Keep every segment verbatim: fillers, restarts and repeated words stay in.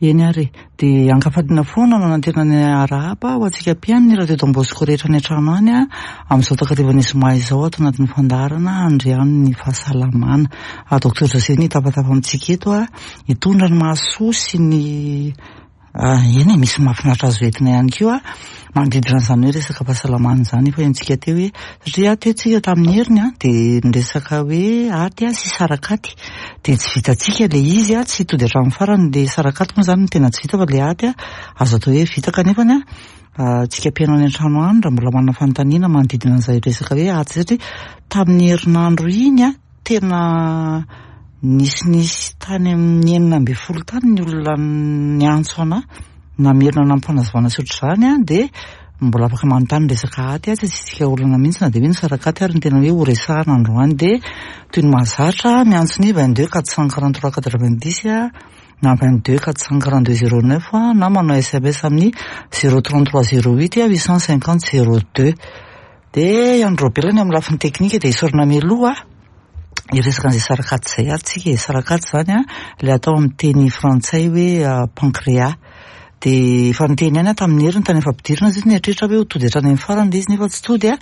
Eny ary e, dia ankafaliana foana no anantena ny arahaba ho antsika mpihaino ny Radio Don Bosco rehetra any an-trano any a, amin'izao takarivan'ny zoma izao ato anatin'ny fandaharana Andriano ny fahasalamana. Docteur José ny hitafatafa amintsika eto a, hitondra ny mahasoa sy ny eny e, misy mahafinaritra azo entina ihany koa manodidina an'izany hoe resaka fahasalamana izany. Efa henontsika teo hoe satria teo tsika tamin'ny heriny a, dia niresaka hoe aty a sy sarakaty, dia tsy vitantsika ilay izy a, tsy tody hatramin'ny farany. Ilay sarakaty moa izany no tena tsy vita, fa ilay aty a azo atao hoe vita. Kanefany a, tsika mpihaino any an-trano any, raha mbola manana fanontaniana manodidina an'izay resaka hoe aty, satria tamin'ny herinandro iny a tena nisinisy tany amin'ny enina ambin'ny folo tany ny olona niantso anahy namerina nampanazavana sy ohatr'izany a, dia mbola afaka manontany resaka aty a, tsy asiantsika olana mihitsy na dia hoe ny sarakaty ary ny tena hoe ho resahana androany. Dia toy ny mahazatra, miantso ny vingt deux quatre cent quarante trois quatre vingt dix a, na vingt deux quatre cent quarante deux zéro neuf, na manao S M S amin'ny zéro trente trois zéro huit huit cent cinquante zéro deux. Dia andro belany amin'ny lafiny teknika, dia isaorana mialoha. Hiresaka an'izay sarakaty izay ary tsika. Sarakaty izany a, ilay atao amin'ny teny frantsay hoe pancréas. Dia efa niteny ihany aho tamin'ny heriny tany fampidirana izy, nieritreritra hoe ho tody hatrany amin'ny farany ilay izy, nefa tsy tody a,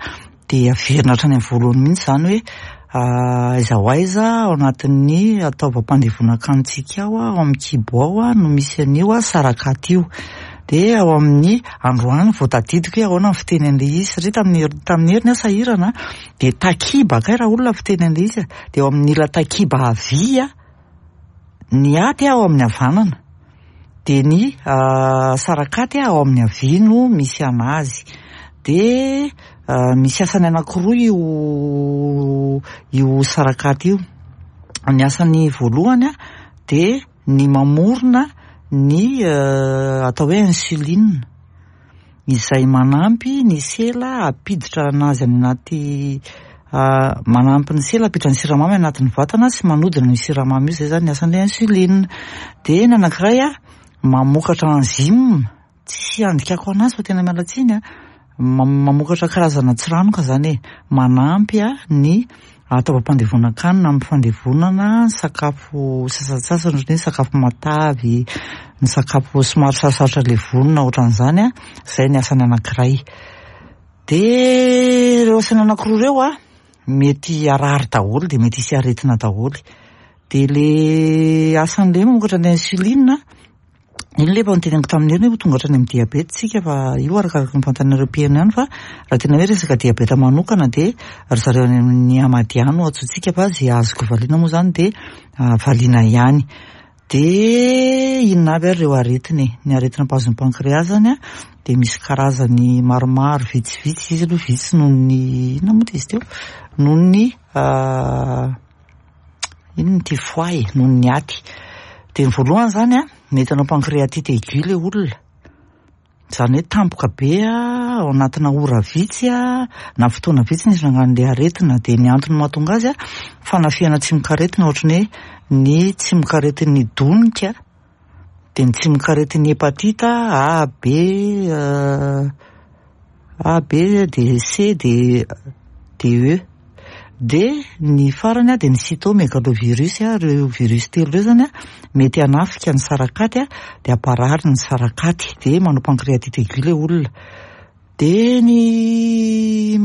dia averina hatrany amin'ny voalohany mihitsy izany hoe aiza ho aiza ao anatin'ny taovam-pandevonan-kanintsika ao, ao amin'ny kibo ao a, no misy an'io a sarakaty io. Dia ao amin'ny androany vao tadidiko hoe ahoana ny fiteny an'ilay izy, satria tamin'ny tamin'ny heriny aho sahirana, dia takiba kay raha olona fiteny an'ilay izy. Dia ao amin'ny ila takiba havia ny aty, ao amin'ny havanana, dia ny sarakaty ao amin'ny havia no misy anazy. Dia misy asany anankiroa io io sarakaty io. Ny asany voalohany a, dia ny mamorona ny atao hoe insuline, izay manampy ny sela hampiditra anazy any anaty, manampy ny sela hampiditra ny siramamy anatin'ny vatana sy manodina ny siramamy io. Zay zany ny asan'ilay insuline. Dia ny anankiray a, mamokatra enzyme, tsy andikako anazy fa tena miala tsiny a, mamokatra karazana tsiranoka zany e, manampy a ny taovam-pandevonan-kanina amin'ny fandevonana sakafo sasantsasany, ohatran'ny hoe sakafo matavy, ny sakafo somary sarosarotra levonina ohatran'izany a. Zay ny asany anankiray. Dia ireo asany anankiroa ireo a, mety harary daholo, dia mety hisy aretina daholo. Dia le asan'ilay mamokatra ny insuline iny, le efa niteneniko tamin'ny heriny hoe tonga hatrany amin'ny diabeta tsika, fa io arakaraka ny fanontanianareo mpihaino ihany. Fa raha tena hoe resaka diabeta manokana, dia ry zareo any amin'ny Amadia no antsointsika, fa zay azoko valiana moa zany dia valiana ihany. Dia inona avy ary ireo aretina e? Ny aretina mpahazo ny pancréas zany a, dia misy karazany maromaro vitsivitsy izy aloha, vitsy noho ny inona moa izy teo, noho ny inona ty, foie, noho ny aty. Dia ny voalohany zany a, mety hanao pancréatite aiguë le olona, izany hoe tampoka be a, ao anatina ora vitsy a na fotoana vitsy ny itrangan'ilay aretina. Dia ny antony mahatonga azy a, fanafihana tsimokaretina, ohatran'ny hoe ny tsimokaretin'ny donika, dia ny tsimokaretin'ny hépatite A, B, A, B, D, C, D, D, E. Dia ny farany a, dia ny cytomégalovirus a. Ireo virus telo ireo zany a, mety hanafika ny sarakaty a, dia hamparary ny sarakaty, dia manao pancréatite aiguë le olona. Dia ny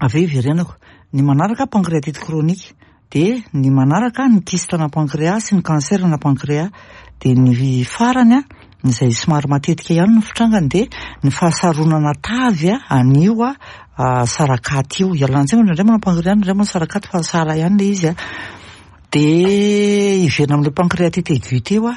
avy eo iverenako ny manaraka, pancréatite chronique. Dia ny manaraka, ny kyste na pancréas sy ny cancer na pancréas. Dia ny farany a, izay somary matetika ihany ny fitrangany, dia ny fahasaronana tavy a an'io a sarakaty io. Ialana tsiny, indraindray manao pancréas, indraindray manao sarakaty, fa sahala ihany le izy a. Dia hiverina amin'ilay pancréatite aiguë teo a,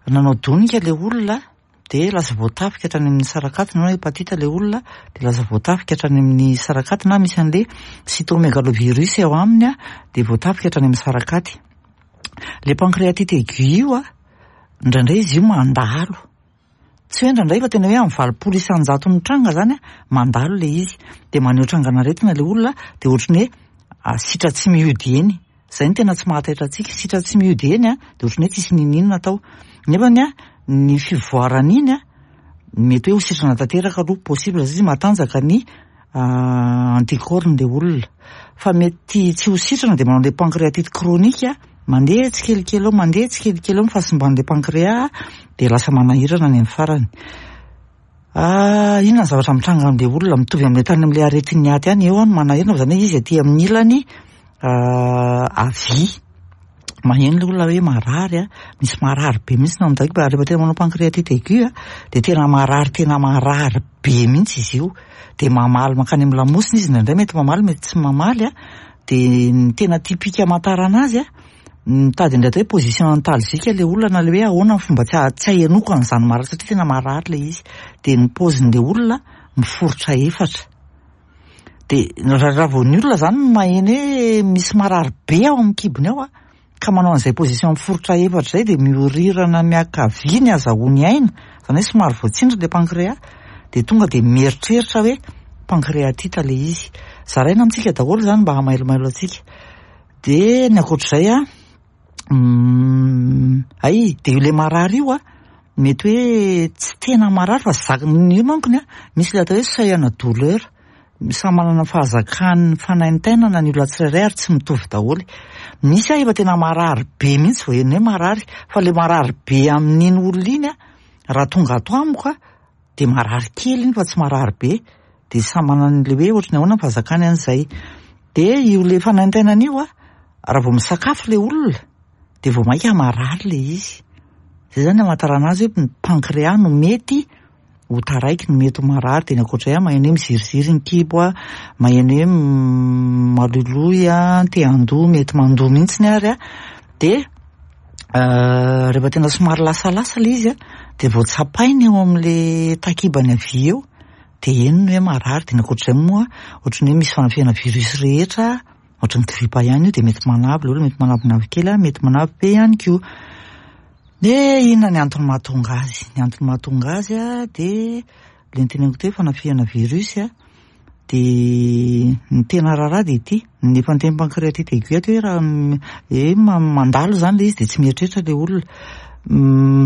nanao donika le olona, dia lasa voatafika hatrany amin'ny sarakaty, na hépatite le olona dia lasa voatafika hatrany amin'ny sarakaty, na misy an'le cytomégalovirus ao aminy a, dia voatafika hatrany amin'ny sarakaty. Le pancréatite aiguë io a, indraindray izy io mandalo, tsy hoe indraindray fa tena hoe amin'ny valopolo isan-jato mitranga zany a, mandalo le izy, dia maneho trangan'aretina le olona, dia ohatran'ny hoe sitra tsy miody eny. Zay ny tena tsy mahataitra antsika, sitra tsy miody eny a, dia ohatran'ny hoe tsisy nininona atao, nefany a, ny fivoarana iny a, mety hoe ho sitrana tanteraka aloha, possible izy matanjaka ny anticorps le olona, fa mety tsy ho sitrana, dia manao le pancréatite chronique. Mandeha tsikelikely eo, mandeha tsikelikely eo ny fahasimban'ilay pancréas dia lasa manahirana any amin'ny farany. Inona ny zavatra mitranga amin'ilay olona? Mitovy amin'ilay tany amin'ilay aretin'ny aty ihany, eo no manahirana fa izany hoe izy aty amin'ny ilany havia. Maheno ilay olona hoe marary a, misy marary be mihitsy na amin'ny rehefa tena manao pancréatite aiguë a, dia tena marary tena marary be mihitsy izy io. Dia mamaly mankany amin'ny lamosina izy indraindray, mety mamaly mety tsy mamaly a. Dia ny tena typique amantarana azy a, mitady indray atao hoe position antalgique ilay olona na ilay hoe ahoana ny fomba tsy tsy ahenoko an'izany marary satria tena marary ilay izy. Dia ny paozin'ilay olona miforitra efatra. Dia raha vao ny olona izany maheno hoe misy marary be ao amin'ny kibony ao a, ka manao an'izay position miforitra efatra izay dia miorirana miankavia ny azahoany aina, izany hoe somary voatsindry ilay pancréas, dia tonga dia mieritreritra hoe pancréatite ilay izy. Zaraina amintsika daholo izany mba hamailomailo antsika. Dia ny ankoatr'izay a, ay, dia ilay marary io a, mety hoe tsy tena marary fa zaka- io mankony a, misy ilay atao hoe seuil ana douleur. Samy manana ny fahazakany fanaintainana ny olona tsirairay ary tsy mitovy daholo. Misy a efa tena marary be mihitsy vao heno hoe marary, fa ilay marary be amin'iny olona iny a, raha tonga ato amiko a, dia marary kely iny fa tsy marary be. Dia samy manana an'ilay hoe ohatran'ny ahoana ny fahazakany an'izay. Dia io ilay fanaintainana io a, raha vao misakafo ilay olona, dia vao mainka marary ilay izy. Izay izany amantarana azy hoe ny pancréas no mety ho taraiky, no mety ho marary. Dia ny ankoatr'izay a, maheno hoe miziriziry ny kibo a, maheno hoe maloiloy a, te handoa, mety mandoa mihitsy ary a. Dia rehefa tena somary lasalasa ilay izy a, dia vao tsapainy eo amin'ilay takibany havia eo, dia eny no hoe marary. Dia ny ankoatr'izay moa, ohatran'ny hoe misy fanafihana virus rehetra, ohatran'ny gripa ihany io, dia mety manavy ilay olona, mety manavinavy kely a, mety manavy be ihany koa. Dia inona ny antony mahatonga azy? Ny antony mahatonga azy a, dia ilay noteneniko teo hoe fanafihana virus a, dia ny tena raharaha dia ity, ny efa niteny pancréatite aiguë ato hoe raha hoe mandalo izany ilay izy dia tsy mieritreritra ilay olona.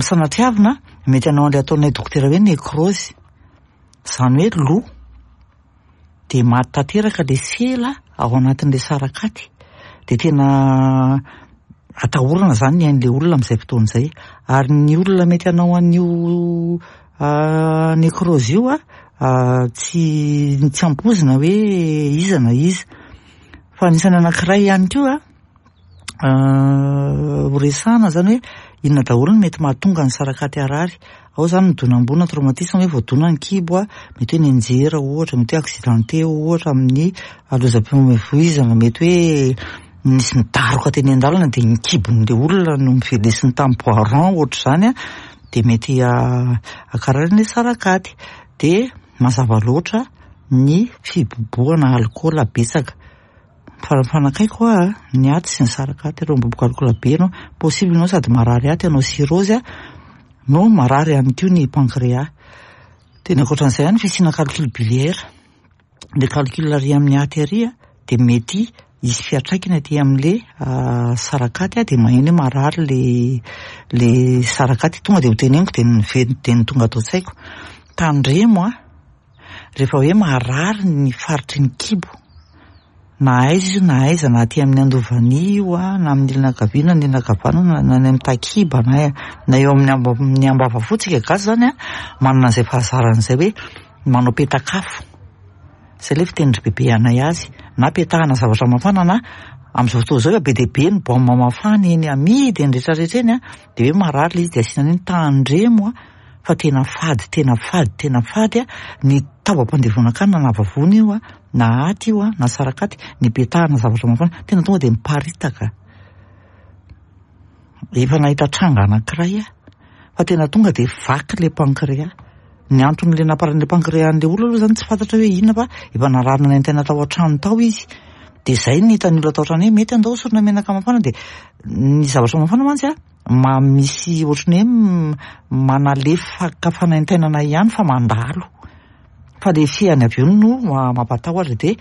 Sanatriavina mety hanao an'ilay ataonay dokotera hoe nécrose, izany hoe lo, dia maty tanteraka ilay sela ao anatin'ilay sarakaty, dia tena atahorana izany ny ain'ilay olona amin'izay fotoana izay. Ary ny olona mety hanao an'io nécrose io a, tsy tsy ampoizina hoe iza na iza. Fa anisan'ny anankiray ihany koa a, ho resahana izany hoe inona daholo no mety mahatonga ny sarakaty harary. Ao izany ny donam-boa na traumatisme hoe voadona ny kibo a, mety hoe nianjera ohatra, mety hoe accidenté ohatra amin'ny lozam-pifamoivoizana, mety hoe nisy nidaroka teny an-dalana dia ny kibon'ilay olona no novelesiny tamin'ny bois rond ohatr'izany a, dia mety hankarary ny sarakaty. Dia mazava loatra ny fibobohana alikaola betsaka. Fa mifanakaiky hoa ny aty sy ny sarakaty, ireo miboboka alikaola be ianao, possible ianao sady marary aty hanao cirrhose a, no marary ihany koa ny pancréas. Dia ny ankoatran'izay ihany fisiana calcul biliaire. Ilay calcul ary amin'ny aty ary a, dia mety hisy fiantraikany aty amin'ilay sarakaty a, dia maheno hoe marary ilay ilay sarakaty. Tonga dia ho teneniko dia ny dia ny tonga ato an-tsaiko. Tandremo a, rehefa hoe marary ny faritry ny kibo, na aiza izy na aiza, na aty amin'ny andovania io a, na amin'ny ilany ankavia na ny ilany ankavanana, na any amin'ny takiba, na na eo amin'ny amba- ny ambavafotsika gasy izany a, manana an'izay fahazarana izay hoe manao petakafo. Izay ilay fitenin-dry bebe anay azy, na petahana zavatra mafana na amin'izao fotoana izao efa be dia be ny baoma mafana eny amidy eny rehetrarehetra eny a, dia hoe marary ilay izy dia asiana an'iny. Tandremo a, fa tena fady, tena fady, tena fady a, ny taovam-pandevonankanina na vavony io a, na aty io a, na sarakaty, ny petahana zavatra mafana, tena tonga dia miparitaka. Efa nahita tranga anankiray aho, fa tena tonga dia vaky ilay pancréas. Ny anton'ilay namparan'ilay pancréas an'ilay olona aloha izany tsy fantatra hoe inona fa efa narary nanaintaina tao an-trano tao izy. Dia izay no hitan'ny olona tao an-trano hoe mety andao hosorona menaka mafana, dia ny zavatra mafana mantsy a, ma misy ohatran'ny hoe manalefaka fanaintainana ihany fa mandalo. Fa ilay fihany avy eo no mampatahotra, dia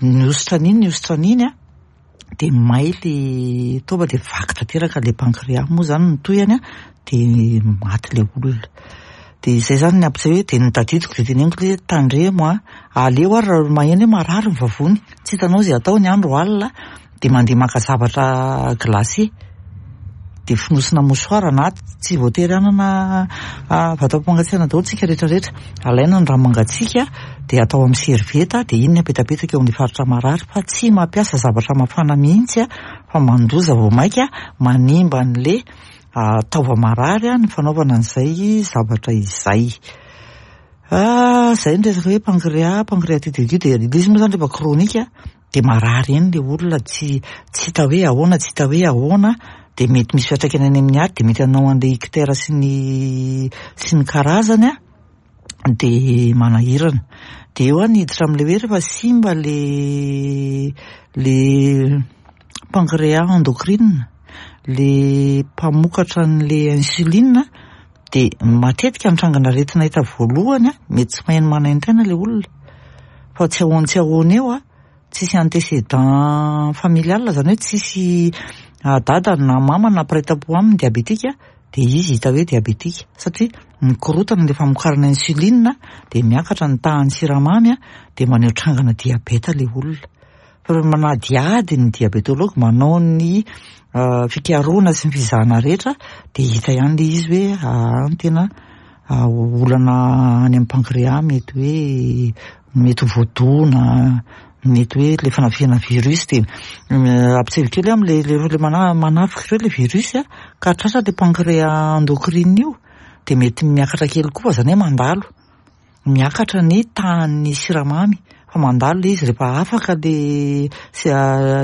nihosotra an'iny, nihosotra an'iny a, dia may ilay taova dia vaky tanteraka ilay pancréas moa izany ny tohiny a, dia maty ilay olona. Dia izay izany ny ampiseho hoe dia notadidiko dia teneniko hoe tandremo a, aleo ary raha maheno hoe marary ny vavony, tsy hitanao izay atao ny andro alina, dia mandeha maka zavatra glacé. de fonosina mouchoir, na tsy voatery hanana vata fampangatsiahana daholo tsika rehetrarehetra. Alaina ny rano mangatsiaka de atao amin'ny servieta, de iny ny apetapetaka eo amin'ny faritra marary, fa tsy mampiasa zavatra mafana mihitsy a, fa mandoza vao maika manimba an'le taova marary a ny fanaovana an'izay zavatra izay. Zay ny resaka hoe pancréas, pancréatite aiguë, de ilay izy moa zany rehefa chronique de marary eny le olona, tsy tsy hita hoe ahoana, tsy hita hoe ahoana, de mety misy fiantraikany any amin'ny aty, de mety hanao an'le ictère sy ny sy ny karazany a, de manahirana. De eo a niditra amin'le hoe rehefa simba le le pancréas endocrine, le mpamokatra an'le insuline, de matetika ny trangana aretina hita voalohany a, mety tsy maheno manaintaina le olona, fa tsy ahoany tsy ahoany eo a, tsisy antécédent familial, zany hoe tsisy dada na mama na mpiray tampo aminy diabetika, de izy hita hoe diabetika, satria mikorotana le famokarana insuline, de miakatra ny tahan'ny siramamy a, de maneho trangana diabeta le olona. Fa rehefa manadihady ny diabétologue, manao ny fikarohana sy ny fizahana rehetra, de hita ihany le izy hoe ah, tena olana any amin'ny pancréas, mety hoe mety ho voadona, mety hoe le fanafihana virus, de ampiseho kely am'le le le mana- manafika ireo le virus a, ka tratra le pancréas endocrine io, de mety miakatra kely koa, fa zany hoe mandalo miakatra ny tahan'ny siramamy, fa mandalo le izy rehefa afaka le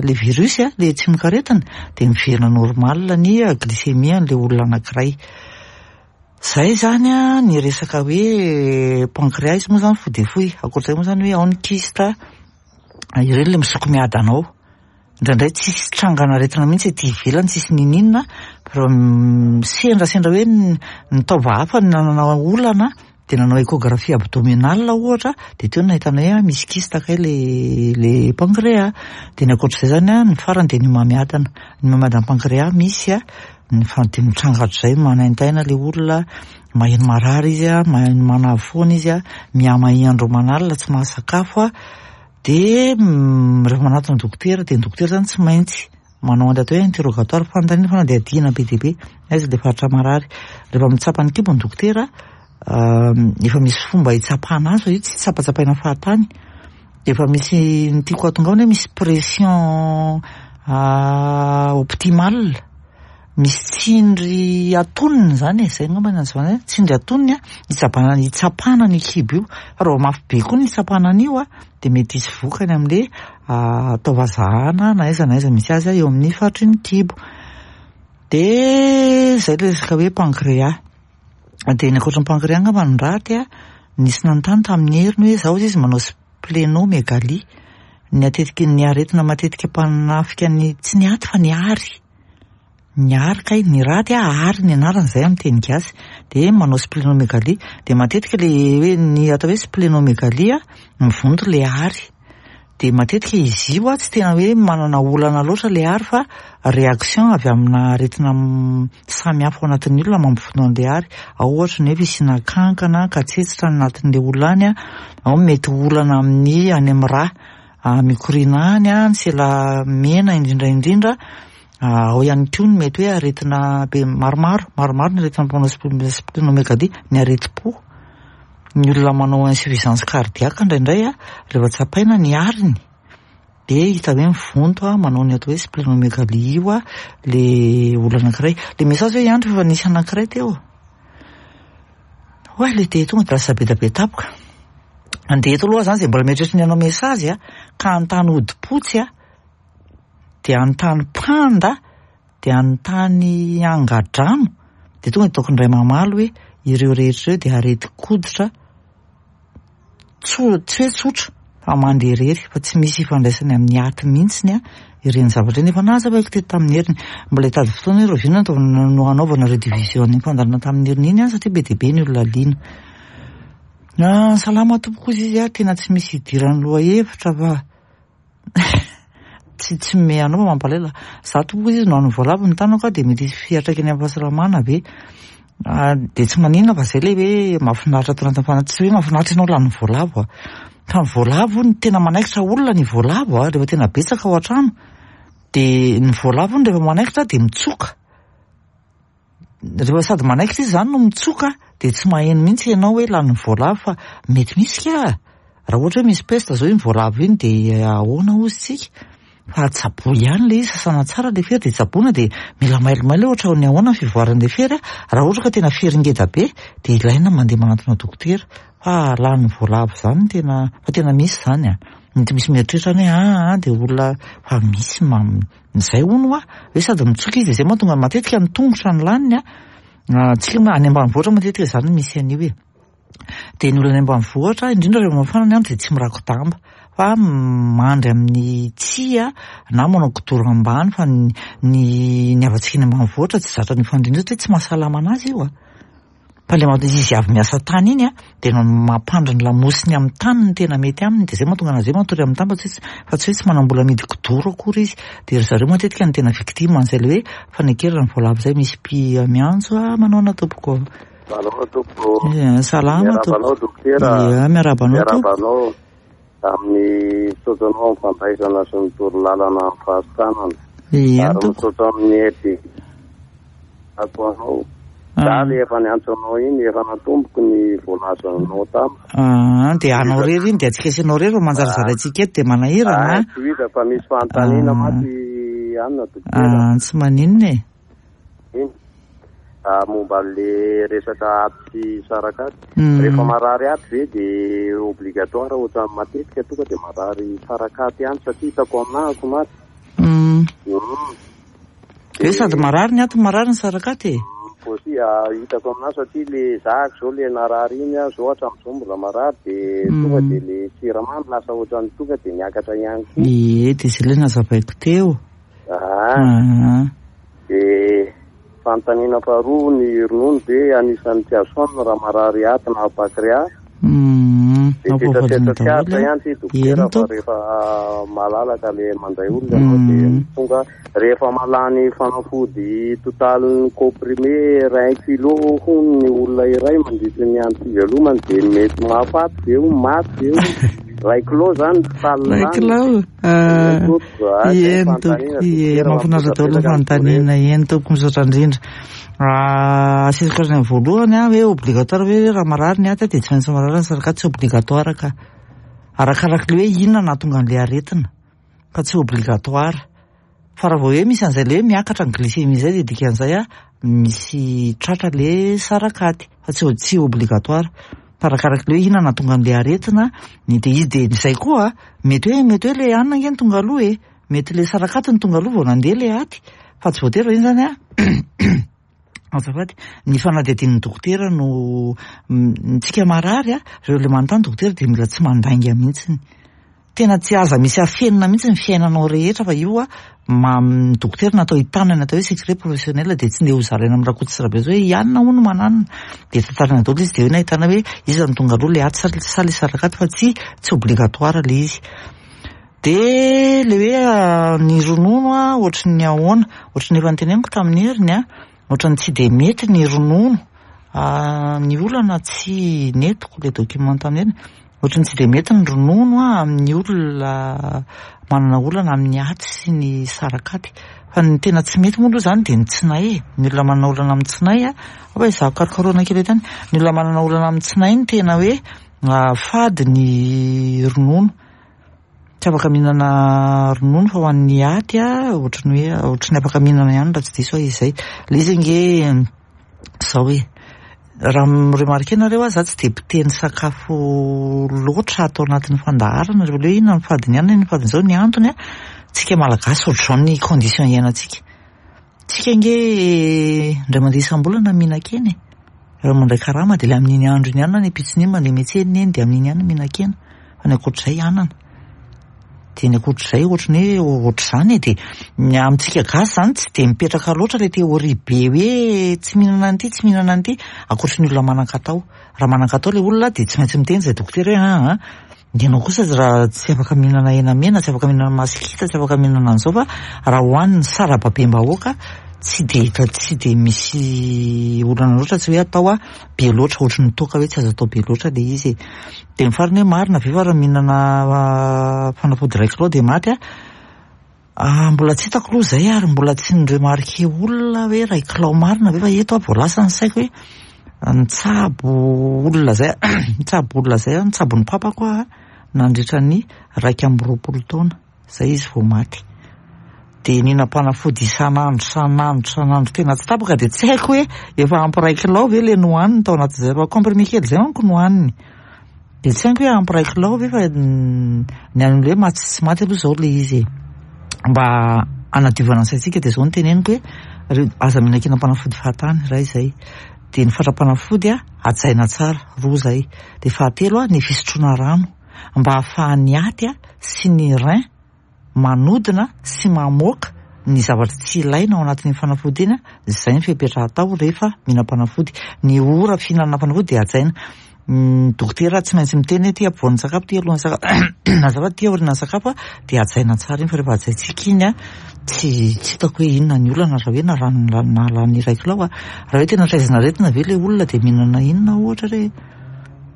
le virus a, le tsimokaretina, de miverina normal ny glycémie an'le olona anankiray. Zay zany a ny resaka hoe pancréas, izy moa zany fohy de fohy. Ankoatr'izay moa zany hoe ao ny kyste, ireny le misoko miadana ao. Indraindray tsisy trangana aretina mihitsy aty ivelany, tsisy nininona, fa sendrasendra hoe ny taova hafa no nanana olana, de nanao échographie abdominale ohatra, de teo no nahitana hoe misy kyste kay le le pancréas. De ny ankoatr'izay zany a, ny farany de ny homamiadana. Ny homamiadan'ny pancréas misy a, ny fa de mitranga hatr'izay, manaintaina le olona, maheno marary izy a, maheno manavy foana izy a, mihamahia andro aman'alina, tsy mahasakafo a, de rehefa manatona dokotera, de ny dokotera zany tsy maintsy manao an'ilay atao hoe interrogatoire, fanontaniana fanadihadiana be dia be, aiza le faritra marary. Rehefa mitsapa ny kibo ny dokotera, efa misy fomba hitsapana azy, fa io tsy tsapatsapaina fahatany, de efa misy ny tiako hahatongavana hoe misy pression optimale, misy tsindry atonony zany e, zay angamba ny azavana hoe tsindry atonony a, hitsapana hitsapana ny kibo io, fa raha vao mafy be koa ny hitsapana an'io a, de mety hisy vokany amin'le taova zahana na aiza na aiza misy azy eo amin'ny faritry ny kibo. De zay le resaka hoe pancréas. De ny ankoatran'ny pancréas angamba ny raty a, nisy nanontany tamin'ny heriny hoe zaho izy manao splénomégalie, ny atetiky ny aretina matetika mpanafika ny, tsy ny aty fa ny ary, ny ary kay, ny raty a, ary ny anarany zay amin'ny teny gasy, de manao splénomégalie. De matetika le hoe ny atao hoe splénomégalie a, mivonto le ary, de matetika izy io a tsy tena hoe manana olana loatra le ary, fa réaction avy amina aretina samy hafa ao anatin'ny olona mampivonto an'le ary. Ao ohatra ny hoe fisiana kankana katsetsitra anatin'le olona any a, ao mety olana amin'ny any amin'ny rà mikoriana any a, ny sela mena indrindra indrindra, ao ihany koa ny mety hoe aretina be maromaro, maromaro ny aretina mpanao splénomégalie, ny aretim-po, ny olona manao insuffisance cardiaque indraindray a, rehefa tsapaina ny ariny de hita hoe mivonto a, manao ny atao hoe splénomégalie io a le olona anankiray. Le message hoe ihany rehefa nisy anankiray teo. Oay, le de tonga de lasa be da be tampoka. Andeha eto aloha zany zay mbola mieritreritra ny hanao message a, ka hanontany hodi-potsy a, de hanontany panda, de hanontany angadrano, de tonga de ataoko indray mamaly hoe ireo rehetra ireo de aretin-koditra tso-, tsy hoe tsotra fa mandeha irery, fa tsy misy ifandraisany amin'ny aty mihitsiny a ireny zavatra ireny. Efa nazavaiko teto tamin'ny heriny, mbola hitady fotoana hoe rahoviana no no hanaovana rediffusion ny fandaharana tamin'ny heriny iny a, satria be dia be ny olona liana. Ah, salama tompoko izy izy a, tena tsy misy idiran'ny lohahevitra fa tsy tsy me anao mampalahelo. Za tompoko izy no hanao voalavo ny tanako a, de mety hisy fiantraikany amin'ny fahasalamana ve? Ah, de tsy maninona fa zay le hoe mahafinaritra ato anatin'ny fana-, tsy hoe mahafinaritra ianao lany voalavo a. Fa ny voalavo ny tena manaikitra olona ny voalavo a, rehefa tena betsaka ao an-trano, de ny voalavo ny rehefa manaikitra de mitsoka. Rehefa sady manaikitra izy zany no mitsoka de tsy maheno mihitsy ianao hoe lanin'ny voalavo, fa mety misy ka. Raha ohatra hoe misy peste zao iny voalavo iny de ahoana hozy tsika? Fa tsaboa ihany le izy, sasana tsara le fery de tsaboina, de mila mailomailo ohatra ny ahoana ny fivoaran'le fery a. Raha ohatra ka tena fery ngeda be de ilaina mandeha manantona dokotera, fa lanin'ny voalavo zany tena, fa tena misy zany a. Mety misy mieritreritra ny hoe aa de olona, fa misy mam zay hono a, hoe sady mitsoka izy de zay mahatonga matetika ny tongotra ny laniny a. Tsika moa any ambanivohitra matetika zany misy an'io e. De ny olona any ambanivohitra indrindra rehefa mafana ny andro de tsy mirako-damba fa mandry amin'ny tsihy na manao kidoro ambany, fa ny ny havantsika any ambanivohitra tsy zatra ny fandriana satria tsy mahasalama anazy io a. Fa le maha izy avy miasa tany iny a de mampandry ny lamosiny amin'ny tany ny tena mety aminy, de zay mahatonga anazy hoe matory amin'ny tany, fa tsy fa tsy hoe tsy manam-bola amidy kidoro akory izy. De ry zareo matetika no tena victime an'izay le hoe fanekerana ny voalavo zay. Misy mpia miantso a, manaona tompoko? Salama tompoko. Ia, salama Miarahaba anao tompoko. Dokotera. Ia, miarahaba anao Miarahaba tompoko. anao amin'ny misaotra anao amin'ny fandraisana sy ny torolalana amin'ny fahasitranana. Ia, Ary tompoko. misaotra amin'ny hery ato anao. Za le efa niantso anao iny, efa natomboko ny voalazanao tamiko. Ah, de anao rery iny de atsika sy anao rery fa manjary zaraintsika eto de manahirana. Ah, tsy hita fa misy fanontaniana mantsy anina dokotera. Ah, tsy maninona e. Iny. Ah, momba le resaka aty sy sarakaty. Mm. Rehefa marary aty ve de obligatoire ohatran'ny matetika tonga de marary sarakaty ihany, satria hitako aminahako mantsy. Mm. Mm. Hoe sady marary ny aty marary ny sarakaty e. Posy, ah, hitako aminahy satria le zahako zao le narary iny a, zao hatramin'izao mbola marary de Mm. tonga de le siramamy lasa ohatran'ny tonga de niakatra ihany koa. Ie, de zay le nazavaiko teo. Ah, Ah. de fanontaniana faharoa, ny ronono ve anisan'ny tsy azo hanina raha marary aty na pancréas? Mm. De setrasetra tsy daholo aritra a. ihany ty Eny dokotera, fa tompoko. rehefa malalaka le mandray olona ianao de Mm. tonga rehefa malany fanafody totalin'ny comprimé iray kilo hono ny olona iray mandritry ny andro fivelomany de mety mahafaty ve ho maty ve ho iray kilo zany total Iray lany. kilo. Ah, Tompoko, ah, zay Eny fanontaniana, tompoko, ie, dokotera, mahafinaritra daholo ny mampitobetaka ny fanontaniana. Eny tompoko, misaotra indrindra. Ah, asesiko azy ny voalohany a, hoe obligatoire hoe raha marary ny aty de tsy maintsy marary ny sarakaty, tsy obligatoire ka. Arakaraka le hoe inona nahatonga an'le aretina, fa tsy obligatoire. Fa raha vao hoe misy an'izay le hoe miakatra ny glycémie zay de dikan'izay a misy tratra le sarakaty, fa tsy tsy obligatoire. Fa arakaraka le hoe inona nahatonga an'le aretina, ny de izy de izay koa mety hoe mety hoe le hanina ange no tonga aloha e, mety le sarakaty no tonga aloha vao nandeha le aty, fa tsy voatery iny zany a. Azafady, ny fanadihadian'ny dokotera no tsika marary a, reo le manontany dokotera de mila tsy mandainga mihitsiny. Tena tsy aza misy afenina mihitsy ny fiainanao rehetra, fa io a ma ny dokotera natao hitanana atao hoe secret professionnel, de tsy ndeha ho zaraina amin'ny Rakoto sy Rabe hoe ianona hono mananona, de tantarina daholo izy, de hoe nahitana hoe iza no tonga aloha le aty sa sa le sarakaty, fa tsy tsy obligatoire le izy. De le hoe ny ronono a ohatry ny ahoana, ohatry ny efa noteneniko tamin'ny heriny a, ohatry ny tsy de mety ny ronono. Ah, ny olana tsy nentiko le document tamin'ny heriny, ohatry ny tsy de mety ny ronono a amin'ny olona manana olana amin'ny aty sy ny sarakaty. Fa ny tena tsy mety moa aloha zany de ny tsinay e. Ny olona manana olana amin'ny tsinay a, hoe izaho karokarohana kely eto ihany, ny olona manana olana amin'ny tsinay no tena hoe fady ny ronono. Tsy afaka mihinana ronono, fa ho an'ny aty a ohatry ny hoe ohatry ny afaka mihinana ihany raha tsy diso aho izay. Le izy ange zao hoe raha mi-remarquer nareo a, za tsy de mpiteny sakafo loatra ato anatin'ny fandaharana, rehefa le hoe inona ny fadiny ihany, inona ny fadiny zao, ny antony a, tsika malagasy ohatr'izao ny condition iainantsika. Tsika ange indray mandeha isam-bolana mihinan-kena e. Raha mandray karama de le amin'iny andro iny ihany na ny ampitsony iny mandeha miantsena eny de amin'iny ihany mihinan-kena. Fa ny ankoatr'izay anana. De ny ankoatr'izay ohatry ny hoe ohatr'izany e, de ny amintsika gasy zany tsy de mipetraka loatra le théorie be hoe tsy mihinana an'ity, tsy mihinana an'ity, ankoatry ny olona manan-katao. Raha manan-katao le olona de tsy maintsy miteny izay dokotera hoe ah, ah, ny anao kosa raha tsy afaka mihinana hena mena, tsy afaka mihinana masikita, tsy afaka mihinana an'izao, fa raha hohaniny sarababem-bahoaka tsy de hita, tsy de misy olana loatra, tsy hoe atao a be loatra ohatry ny toaka hoe tsy azo atao be loatra le izy e. De ny farany hoe marina ve fa raha mihinana fanafody iray kilao de maty a? Ah, mbola tsy hitako aloha izay ary mbola tsy ni-remarquer olona hoe iray kilao marina ve, fa eto aho vao lasa ny saiko hoe nitsabo olona zay, nitsabo olona zay aho, nitsabo ny papako aho nandritra ny iraika amby roapolo taona zay izy vao maty. Dia nihinam-panafody isan'andro, isan'andro, isan'andro tena tsy tapaka, dia tsy haiko hoe efa ampy iray kilao ve le nohaniny tao anatin'izay, fa comprimé kely zay manko nohaniny. Dia tsy haiko hoe ampy iray kilao ve, fa ny an'ilay hoe maty sy tsy maty aloha izao le izy e. Mba hanadiovana ny saintsika dia izao no teneniko hoe aza mihinan-kinam-panafody fahatany, iray izay. Dia ny fatram-panafody a, hajaina tsara, roa izay. Dia fahatelo a, ny fisotroana rano mba ahafahan'ny aty a sy ny rein manodina sy mamoaka ny zavatra tsy ilaina ao anatin'ny fanafody iny a, izay ny fepetra atao rehefa mihinam-panafody. Ny ora fihinanana fanafody dia hajaina. Ny dokotera tsy maintsy miteny hoe ty ampovoan'ny sakafo, ty alohan'ny sakafo, azafady, ty aorian'ny sakafo a, dia hajaina tsara iny, fa rehefa hajaintsika iny a, tsy tsy hitako hoe inona ny olana raha hoe narano nahalany iray kilao a. Raha hoe tena traizina aretina ve le olona dia mihinana inona ohatra re?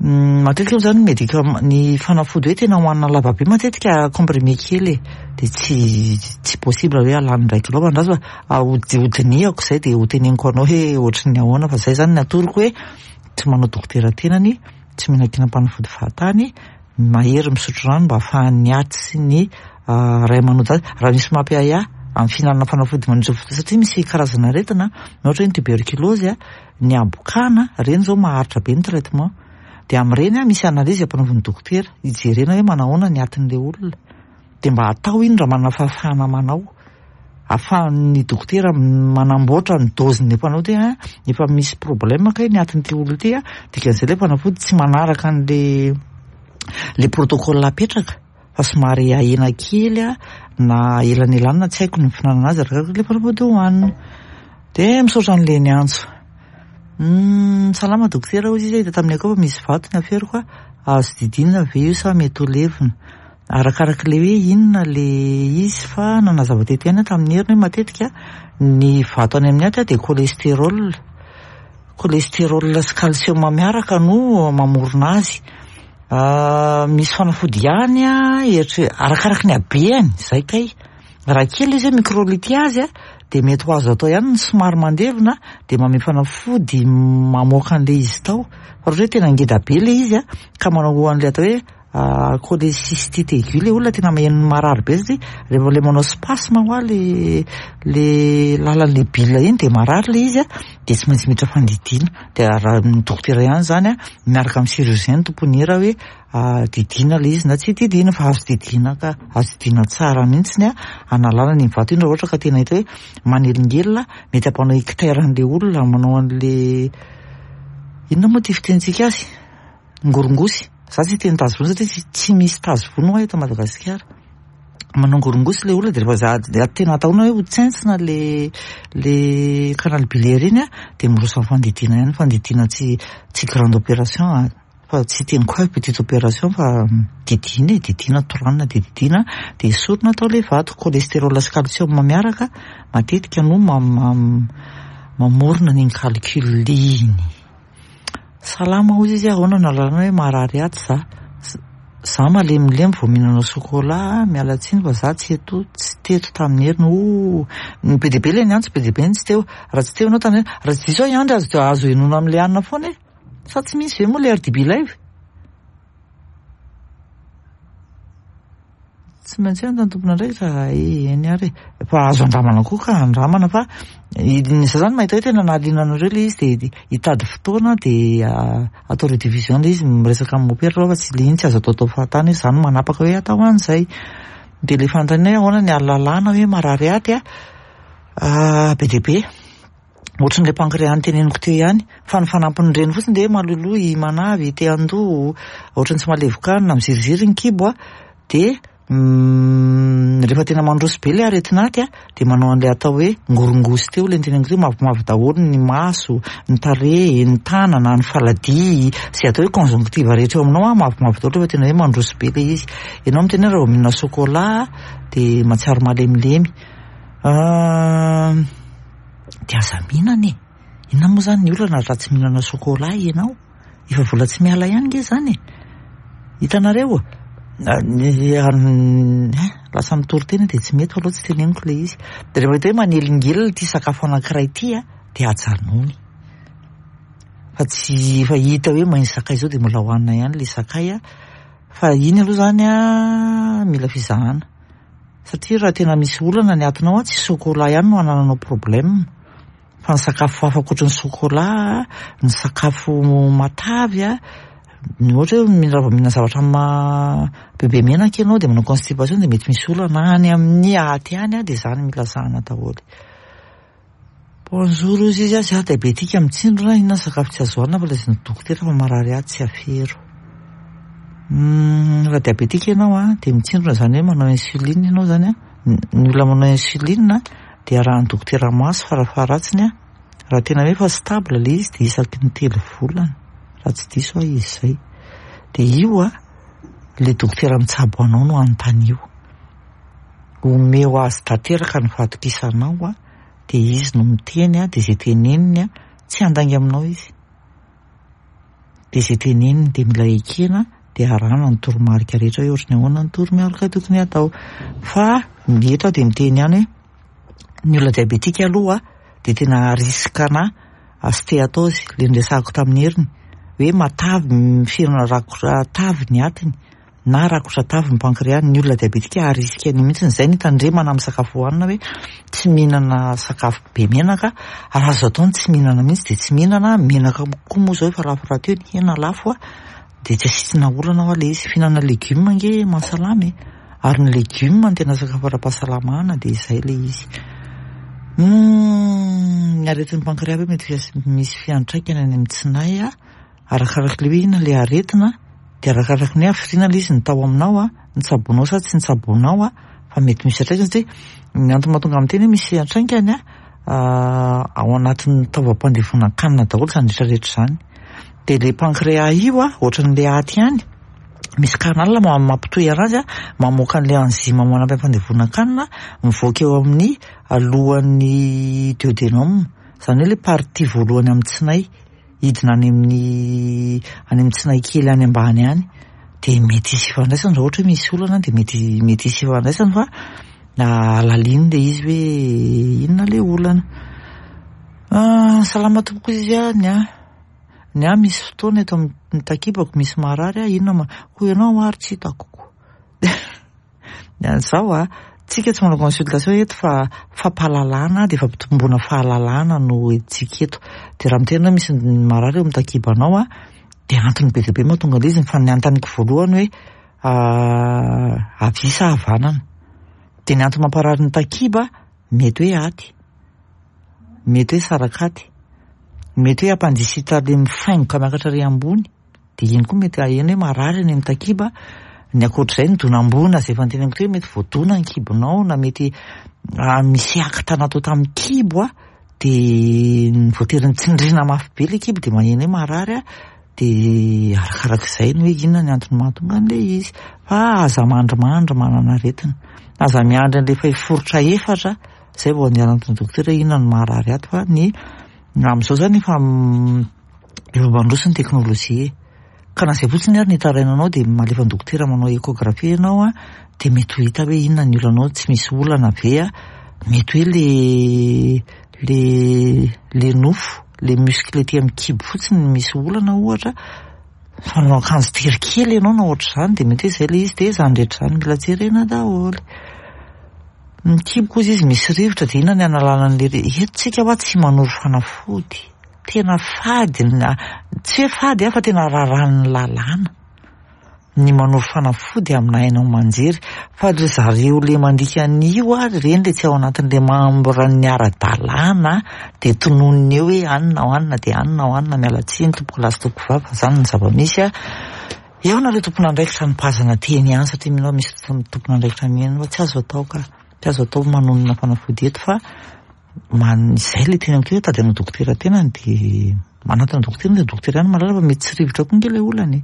Matetika moa zany ny médicament, ny fanafody hoe tena hohanina lava be matetika comprimé kely e, dia tsy tsy possible hoe halany iray kilao, fa andraso fa hodinihako izay dia hoteneniko anao hoe ohatry ny ahoana, fa izay zany ny atoroko hoe tsy manao dokotera tenany, tsy mihinan-kinam-panafody fahatany, mahery misotro rano mba ahafahan'ny aty sy ny ray manody azy. Raha misy mampiahiahy amin'ny fihinanana fanafody mandritra ny fotoana, satria misy karazana aretina, ohatra hoe ny tuberculose, ny habokana, ireny izao maharitra be ny traitement. Dia amin'ireny a, misy analyse ampanaovin'ny dokotera, hijerena hoe manahoana ny atin'ilay olona. Dia mba atao iny raha manana fahafahana manao. Ahafahan'ny dokotera manamboatra ny dose-ny mpanao ty a, efa misy problème kay ny atin'ity olona ity a, dikan'izay ilay fanafody tsy manaraka an'le le protocole apetraka, fa somary ahena kely a, na elanelanina tsy haiko ny fihinanana azy arakaraka ilay fanafody hohanina. Dia misaotra an'ilay niantso. Hmm, salama dokotera, hoy izy, hita tamin'ny akao fa misy vato ny aferiko a, azo didina ve io sa mety ho levona? Arakaraka ilay hoe inona le izy, fa nanazava teto ihany aho tamin'ny heriny hoe matetika ny vato any amin'ny aty dia cholestérol. Cholestérol sy calcium miaraka no mamorona azy. Misy fanafody ihany a, eritre-, arakaraka ny habeany, zay kay. Raha kely izy hoe microlithiase a, dia mety ho azo atao ihany ny somary mandevina, dia manome fanafody mamoaka an'ilay izy tao. Fa raha ohatra hoe tena ngeda be ilay izy a, ka manao an'ilay atao hoe cholécystite aiguë, ilay olona tena maheno marary be satria rehefa ilay manao spasme hoa le le lalan'ilay bile iny dia marary ilay izy a, dia tsy maintsy miditra fandidiana. Dia raha ny dokotera ihany zany a, miaraka amin'ny chirurgien ny tompony hira hoe didiana ilay izy na tsy didiana, fa azo didiana ka, azo didiana tsara mihitsy a, analana ny vato iny raha ohatra ka tena hita hoe manelingelina, mety hampanao ictère an'ilay olona, manao an'ilay inona moa ty fitenintsika azy? Ngorongosy. Za tsy hiteny tazo vono satria tsy misy tazo vono aho eto Madagasikara. Manao ngorongosy ilay olona dia rehefa za dia tena atahorana hoe ho tsentsina le le canal biliaire iny a, dia miroso amin'ny fandidiana ihany, fandidiana tsy tsy grande opération a, fa tsy teniko hoe petite opération, fa didiana e, didiana toranina dia didiana, dia esorina atao ilay vato. Cholestérol sy calcium miaraka matetika no mamorona an'iny calcul iny. Salama hoy izy, ahoana no ahalalana hoe marary aty za? Za malemilemy vao mihinana chocolat, miala tsiny fa za tsy eto, tsy teto tamin'ny heriny. Oh, ny be dia be ilay niantso, be dia be ny tsy teo. Raha tsy teo ianao tamin'ny heriny, raha tsy diso aho i Andry, azo azo henoina amin'ilay hanina foana e. Sa tsy misy ve moa ilay R D B live? Tsy maintsy any tompon'andraikitra, eny ary e. Fa azo andramana koa ka, andramana, fa ny za zany mahita hoe tena nahaliana anareo ilay izy, dia hitady fotoana dia atao rediffusion ilay izy, miresaka amin'ny mopera aloha, fa tsy ilay iny tsy azo ataotao fahatany hoe za no manapaka hoe atao an'izay. Dia ilay fanontaniana hoe ahoana ny ahalalana hoe marary aty a, be dia be. Ohatran'ilay pancréas noteneniko teo ihany, fa ny fanampin'ireny fotsiny dia hoe maloloy, manavy, te handoa, ohatran'ny tsy mahalevokanina, miziriziry ny kibo a, dia rehefa tena mandroso be ilay aretina aty a, dia manao an'ilay atao hoe ngorongosy teo, ilay noteneniko teo, mavomavo daholo ny maso, ny tarehy, ny tanana, ny faladia, izay atao hoe conjonctive rehetra eo aminao a, mavomavo daholo rehefa tena hoe mandroso be ilay izy. Ianao miteny hoe raha vao mihinana chocolat dia mahatsiaro malemilemy. Dia aza mihinana e. Inona moa zany ny olana raha tsy mihinana chocolat ianao? Efa vola tsy miala ihany nge zany e. Hitanareo? Lasa mitory tena dia tsy mety fa aleo tsy teneniko ilay izy. Dia rehefa hita hoe manelingelina ity sakafo anankiray ity a, dia ajanony. Fa tsy efa hita hoe mahay sakay izao dia mbola hohanina ihany ilay sakay a. Fa iny aloha izany a, mila fizahana. Satria raha tena misy olana ny atinao a, tsy chocolat ihany no anananao problème. Fa ny sakafo hafa ankoatry ny chocolat, ny sakafo matavy a, ny ohatra hoe raha vao mihinana zavatra ma bebe menaka ianao dia manao constipation dia mety misy olana any amin'ny aty any a, dia izany mila zahana daholo. Bonjour ozy izy a, za diabétique mitsindrona, inona ny sakafo tsy azo hohanina fa lazain'ny dokotera fa marary ahy tsy afero. Raha diabétique ianao a, dia mitsindrona izany hoe manao insuline ianao izany a, ny olona manao insuline dia arahan'ny dokotera maso farafaharatsiny a, raha tena hoe efa stable ilay izy dia isaky ny telo volana, raha tsy diso aho izy izay. Dia io a, ilay dokotera mitsabo anao no anontanio. Omeo azy tanteraka ny fahatokisanao a, dia izy no miteny a, dia izay teneniny a, tsy handainga aminao izy. Dia izay teneniny dia mila ekena, dia arahana ny toromarika rehetra hoe ohatry ny ahoana ny toromarika tokony hatao. Fa ny eto aho dia miteny ihany hoe ny olona diabétique aloha dia tena risque-na stéatose, ilay niresahako tamin'ny heriny hoe matavy mifirina rakotra tavy ny atiny na rakotra tavy ny pancréas. Ny olona diabétique à risque an'io mihitsy, izay no hitandremana amin'ny sakafo hohanina hoe tsy mihinana sakafo be menaka, raha azo atao ny tsy mihinana mihitsy dia tsy mihinana menaka koa moa izao efa lafo rahateo ny hena lafo a, dia tsy asiana olana hoa ilay izy. Fihinanana legioma ange mahasalama e, ary ny legioma no tena sakafo ara-pahasalamana dia izay ilay izy. Ny aretin'ny pancréas ve mety misy fiantraikany any amin'ny tsinay a, arakaraka ilay hoe inona ilay aretina, dia arakaraka ny hoe hafiriana ilay izy ny tao aminao a, nitsaboanao sa tsy nitsaboanao a, fa mety misy fiantraikany satria ny antony mahatonga amin'ny teny hoe misy fiantraikany a, ao anatin'ny taovam-pandevonan-kanina daholo izany rehetrarehetra izany. Dia ilay pancréas io a, ohatran'ilay aty ihany, misy canal mampitohy anazy a, mamoaka an'ilay enzyme manampy amin'ny fandevonan-kanina, mivoaka eo amin'ny alohan'ny duodénum, izany hoe ilay partie voalohany amin'ny tsinay, hidina any amin'ny any amin'ny tsinay kely any ambany any, dia mety hisy ifandraisany raha ohatra hoe misy olana dia mety mety hisy ifandraisany fa alalino ilay izy hoe inona ilay olana. Salama tompoko izy a, ny ahy ny ahy misy fotoana eto amin'ny takibako misy marary a, inona ma hoy ianao ary tsy hitako ko. Izao a, tsika tsy manao consultation eto fa fampahalalana dia fampitomboana fahalalana no entintsika eto. Dia raha miteny hoe misy marary eo amin'ny takibanao a, dia antony be dia be mahatonga ilay izy, fa ny antaniko voalohany hoe havia sa havanana. Dia ny antony mamparary ny takiba mety hoe aty, mety hoe sarakaty, mety hoe appendicite ilay mifaingoka miakatra ary ambony, dia iny koa mety aheno hoe marary any amin'ny takiba. Ny ankoatr'izay ny donam-boana izay efa noteneniko teo hoe mety voadona ny kibonao na mety misy acte natao tamin'ny kibo a, dia voatery nitsindrina mafy be ilay kibo dia maheno hoe marary a, dia arakarak'izay ny hoe inona ny antony mahatonga an'ilay izy. Fa aza mandrimandry manana aretina, aza miandry an'ilay efa hiforitra efatra izay vao andeha hanantona dokotera hoe inona no maharary ato, fa ny amin'izao izany efa efa mandroso ny teknôlôjia e. Ka na izay fotsiny ary ny hitarainanao dia malefa ny dokotera manao échographie ianao a, dia mety ho hita hoe inona ny olanao, tsy misy olana ve a, mety hoe le le le nofo, le muscle ety amin'ny kibo fotsiny no misy olana ohatra, fa manao akanjo tery kely ianao na ohatr'izany dia mety hoe izay ilay izy, dia izany rehetra izany mila jerena daholo. Ny kibo koa izy misy rivotra dia inona ny analana an'ilay rivotra? Eto tsika hoa tsy manoro fanafody, tena fady, tsy hoe fady fa tena raràn'ny lalàna ny manoro fanafody amina haino aman-jery, fa ry zareo le mandika an'io ary ireny le tsy ao anatin'le membre-n'ny ara-dalàna dia tononiny eo hoe anina ao anina dia anina ao anina, miala tsiny tompoko lahy sy tompoko vavy fa izany ny zava-misy a. Eo nareo tompon'andraikitra nipazana teny ihany satria mino aho misy tompon'andraikitra mino fa tsy azo atao ka, tsy azo atao manonona fanafody eto fa man izay ilay teny amiko hoe tady hanao dokotera tenany dia manantona dokotera dia dokotera ihany mahalala fa mety tsy rivotra koa nge ilay olana e.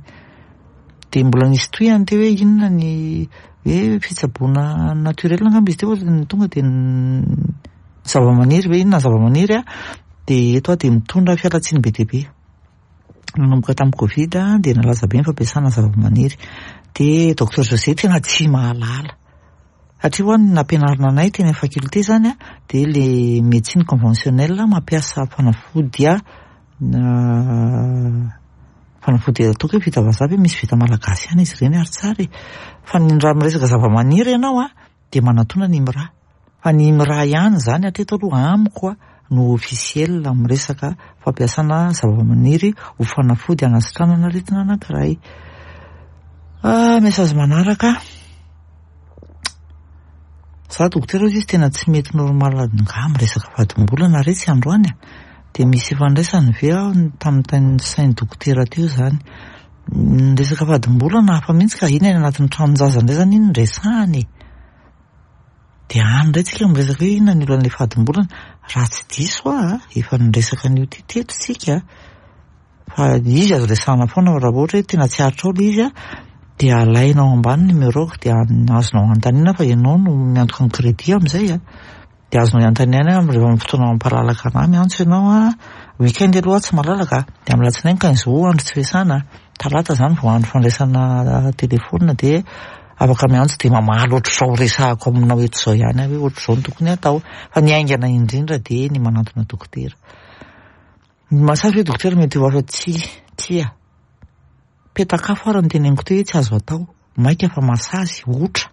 Dia mbola nisy tohiny teo hoe inona ny hoe fitsaboana naturel angamba izy teo fa tonga dia zava-maniry hoe inona ny zava-maniry a, dia eto aho dia mitondra fialantsiny be dia be. Nanomboka tamin'ny Covid dia nalaza be ny fampiasana zava-maniry. Dia docteur José tena tsy mahalala. Satria ho any nampianarina anay teny amin'ny faculté zany a, dia le médecine conventionnelle mampiasa fanafody a, fanafody ataoko hoe vita vazaha ve, misy vita malagasy ihany izy ireny ary tsara e. Fa ny raha miresaka zava-maniry ianao a, dia manatona ny IMRA. Fa ny IMRA ihany zany hatreto aloha amiko a no officiel amin'ny resaka fampiasana zava-maniry ho fanafody hanasitranana aretina anankiray. Ah, message manaraka. Za dokotera izy tena tsy mety normal nga miresaka fadimbolana re tsy androany a. Dia misy ifandraisany ve aho tamin'ny sain'ny dokotera teo zany. Ny resaka fadimbolana hafa mihitsy ka iny any anatin'ny tranon-jaza indray zany iny no resahana e. Dia any indray tsika miresaka hoe inona ny olan'ilay fadimbolana. Raha tsy diso aho a, efa niresaka an'io ty teto tsika. Fa izy azo resahana foana raha ohatra hoe tena tsy aritra ao ilay izy a, dia alainao ambany numéro-ko dia azonao anontaniana fa ianao no miantoka ny crédit amin'izay a. Dia azonao anontaniana rehefa amin'ny fotoana mampalalaka anahy miantso ianao a. Weekend aloha tsy malalaka, dia amin'ny alatsinainy quinze août andro tsy fiasana, talata zany vao andro fandraisana telefona dia afaka miantso dia mamaly ohatr'izao resahako aminao eto izao ihany aho hoe ohatr'izao no tokony atao. Fa ny haingana indrindra dia ny manantona dokotera. Ny massage hoe dokotera mety ho hafa tsy tsia. Petakafo ary ny teneniko teo hoe tsy azo atao. Maika fa massage otra.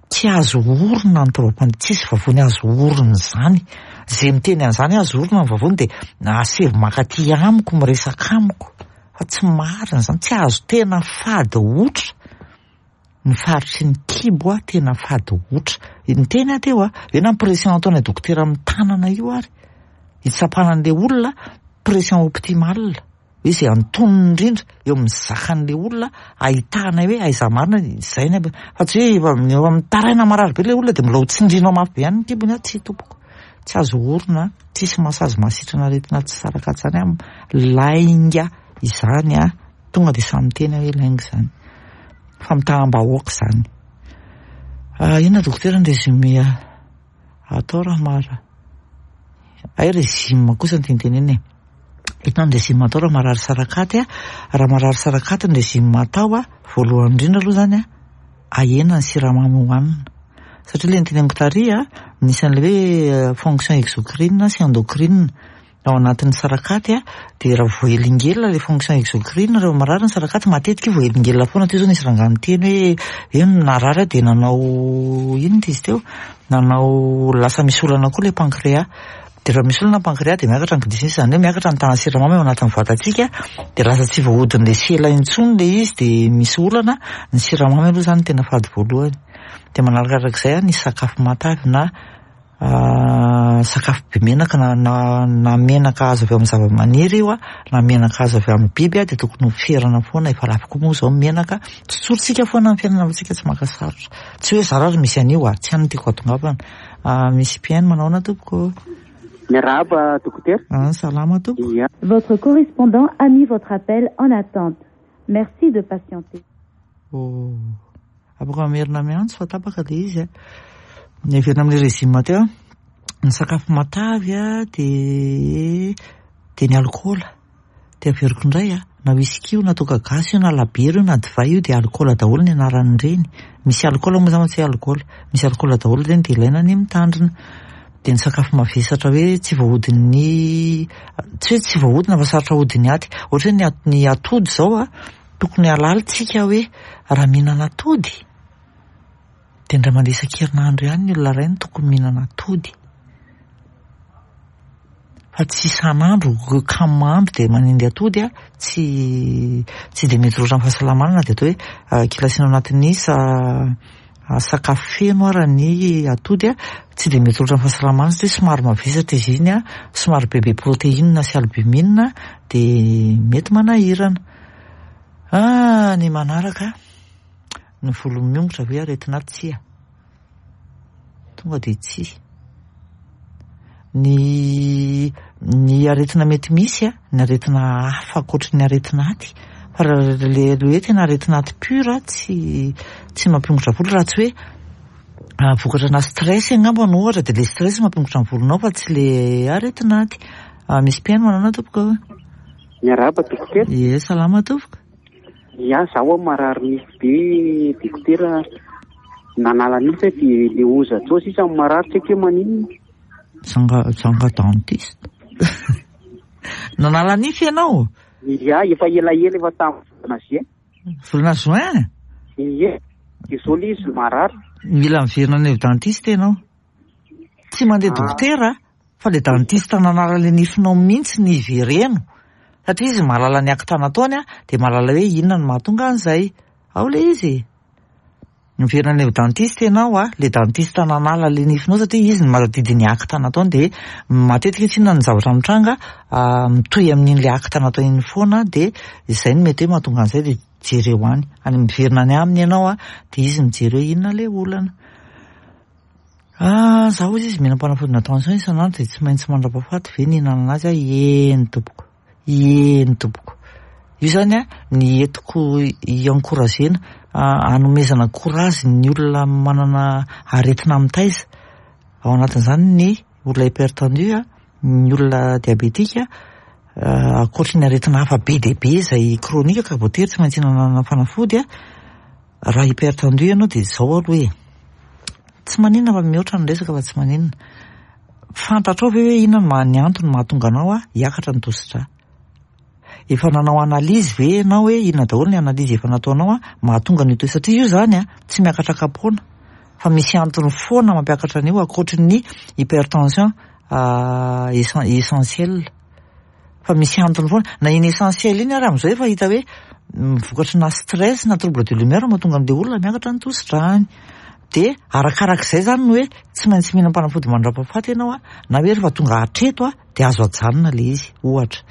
Tsy azo orina ny taovam-pandriana, tsisy vavony azo orina izany. Izay miteny an'izany azo orina ny vavony dia asevo makaty amiko miresaka amiko. Fa tsy marina izany, tsy azo tena fady otra. Ny faritry ny kibo a tena fady otra. Niteny aho teo a, hoe na pression ataonay dokotera amin'ny tanana io ary. Hitsapana an'ilay olona pression optimale. Hoe izay antonony indrindra eo amin'ny zakan'ilay olona ahitana hoe aiza marina izay ny aby. Fa tsy hoe efa efa mitaraina marary be ilay olona dia mbola ho tsindrinao mafy be ihany ny kibony a, tsy tompoko. Tsy azo orina, tsisy massage mahasitrana aretina tsy saraka izany a, lainga izany a. Tonga dia samy miteny hoe lainga izany. Famitaham-bahoaka izany. Ah, inona dokotera ny résumé atao raha mara? Ay régime kosa ny tenitenena e. Inona ny régime atao raha marary sarakaty a? Raha marary sarakaty ny régime atao a, voalohany indrindra aloha zany a, ahena ny siramamy hohanina. Satria ilay niteneniko tary a, misy an'ilay hoe fonction exocrine sy endocrine ao anatin'ny sarakaty a, dia raha voahelingelina ilay fonction exocrine rehefa marary ny sarakaty matetika io voahelingelina foana. Teo zao nisy rangahy niteny hoe hoe narary aho dia nanao inona izy teo? Nanao lasa misy olana koa ilay pancréas. Dia raha misy olana pancréas dia miakatra ny glycémie, izany hoe miakatra ny tahan'ny siramamy ao anatin'ny vatantsika, dia lasa tsy voahodin'ilay sela intsony ilay izy dia misy olana. Ny siramamy aloha zany tena fady voalohany. Dia manarakarak'izay ny sakafo matavy na sakafo be menaka na na na menaka azo avy amin'ny zava-maniry io a, na menaka azo avy amin'ny biby a, dia tokony ho ferana foana. Efa lafo koa moa izao ny menaka. Tsotsorintsika foana ny fiainana fa tsika tsy maka sarotra. Tsy hoe zara ary misy an'io a, tsy any no tiako hahatongavana. Misy mpihaino manao ahoana tompoko? Miarahaba dokotera. Ah, salama tompoko. Ia. Votre correspondant a mis votre appel en attente. Merci de patienter. Oh. Afaka mamerina miantso fa tapaka ilay izy a. Ny averina amin'ilay régime teo a, ny sakafo matavy a dia dia ny alikaola. Dia averiko indray a, na whisky io na toaka gasy io na labiera io na divay io dia alikaola daholo ny anaran'ireny. Misy alikaola moa zany fa tsy hoe alikaola. Misy alikaola daholo ireny dia ilaina ny mitandrina. Dia ny sakafo mavesatra hoe tsy voahodin'ny, tsy hoe tsy voahodina fa sarotra ahodin'ny aty. Ohatra hoe ny at- ny atody izao a, tokony halalitsika hoe raha mihinana atody dia indray mandeha isan-kerinandro ihany ny olona iray no tokony mihinana atody. Fa tsy isan'andro kamo andro dia manendy atody a, tsy tsy dia mety loatra amin'ny fahasalamana na dia atao hoe kilasina ao anatin'ny sa sakafo feno ara ny atody a, tsy dia mety loatra amin'ny fahasalamana satria somary mavesatra izy iny a, somary bebe protéine sy albumine dia mety manahirana. Ah, ny manaraka ny volo miongotra ve aretina tsia? Tonga dia tsia. Ny ny aretina mety misy a, ny aretina hafa ankoatry ny aretina aty, fa raha le hoe tena aretina aty pure tsy tsy mampiongotra volo raha tsy hoe vokatra na stress angamba no ohatra dia le stress mampiongotra ny volonao fa tsy le aretina aty. Misy mpihaino manana tompoko? Miarahaba dokotera. Ie, salama tompoko. Ia, zaho marary nify be dokotera. Nanala nify dia le hozatra ao sisa marary, tsy haiko hoe maninona. Zanga zanga dentiste. Nanala nify ianao? Ia, efa elaela, efa tamin'ny volana juin. Volana juin? Ie, dia zao le izy marary. Mila miverina any amin'ny dentiste ianao. Tsy mandeha dokotera fa le dentiste nanala le nifinao mihitsy ny ivereno. Satria izy mahalala ny acte nataony a, dia mahalala hoe inona no mahatonga an'izay. Ao le izy. Miverina any amin'ny dentiste ianao a, le dentiste nanala le nifinao, satria izy no mahatadidy ny acte nataony, dia matetika tsy inona ny zavatra mitranga, mitohy amin'iny le acte natao iny foana, dia izay no mety hoe mahatonga an'izay. Dia jereo any. Any miverina any aminy ianao a, dia izy mijery hoe inona le olana. Ah, zaho izy izy mihinam-panafodina tension isan'andro, dia tsy maintsy mandra-pahafaty ve ny hihinanana azy a? Eny tompoko. Eny tompoko. Io zany a ny entiko hi-encouragena, hanomezana courage ny olona manana aretina mitaiza. Ao anatin'izany ny olona hypertendu, ny olona diabétique, ankoatry ny aretina hafa be dia be izay chronique ka voatery tsy maintsy hihinanana fanafody a. Raha hypertendu ianao dia izao aloha e. Tsy maninona fa mihoatra ny resaka fa tsy maninona. Fantatrao ve hoe inona no ny antony mahatonga anao a hiakatra ny tosidra? Efa nanao analyse ve ianao hoe inona daholo ny analyse efa nataonao a mahatonga an'io toe, satria io zany a tsy miakatra kapoana fa misy antony foana mampiakatra an'io ankoatry ny hypertension essentiel, fa misy antony foana na iny essentiel iny ary amin'izao efa hita hoe vokatry na stress na trouble de l'humeur mahatonga an'le olona miakatra ny tosidrany. Dia arakarak'izay zany no hoe tsy maintsy mihinam-panafody mandra-pahafaty ianao a, na hoe rehefa tonga hatreto a dia azo ajanona le izy. Ohatra,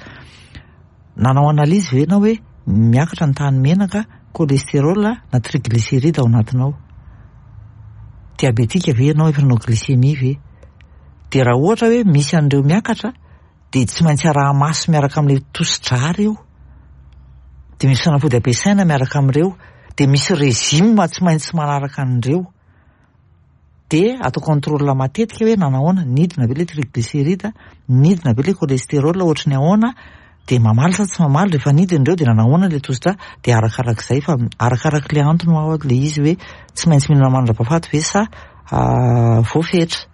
nanao analyse ve ianao hoe miakatra ny tahan'ny menaka, cholestérol na triglycéride ao anatinao? Diabétique ve ianao, efa nanao glycémie ve? Dia raha ohatra hoe misy an'ireo miakatra dia tsy maintsy araha-maso miaraka amin'ilay tosidra ireo, dia misy fanafody ampiasaina miaraka amin'ireo, dia misy régime tsy maintsy manaraka an'ireo, dia atao contrôle matetika hoe nanahoana, nidina ve le triglycéride, nidina ve le cholestérol, ohatry ny ahoana, dia mamaly sa tsy mamaly, rehefa nidina ireo dia nanahoana le tosidra. Dia arakarak'izay, fa arakarak'le antony ho le izy hoe tsy maintsy mihinana mandra-pahafaty ve sa voafetra.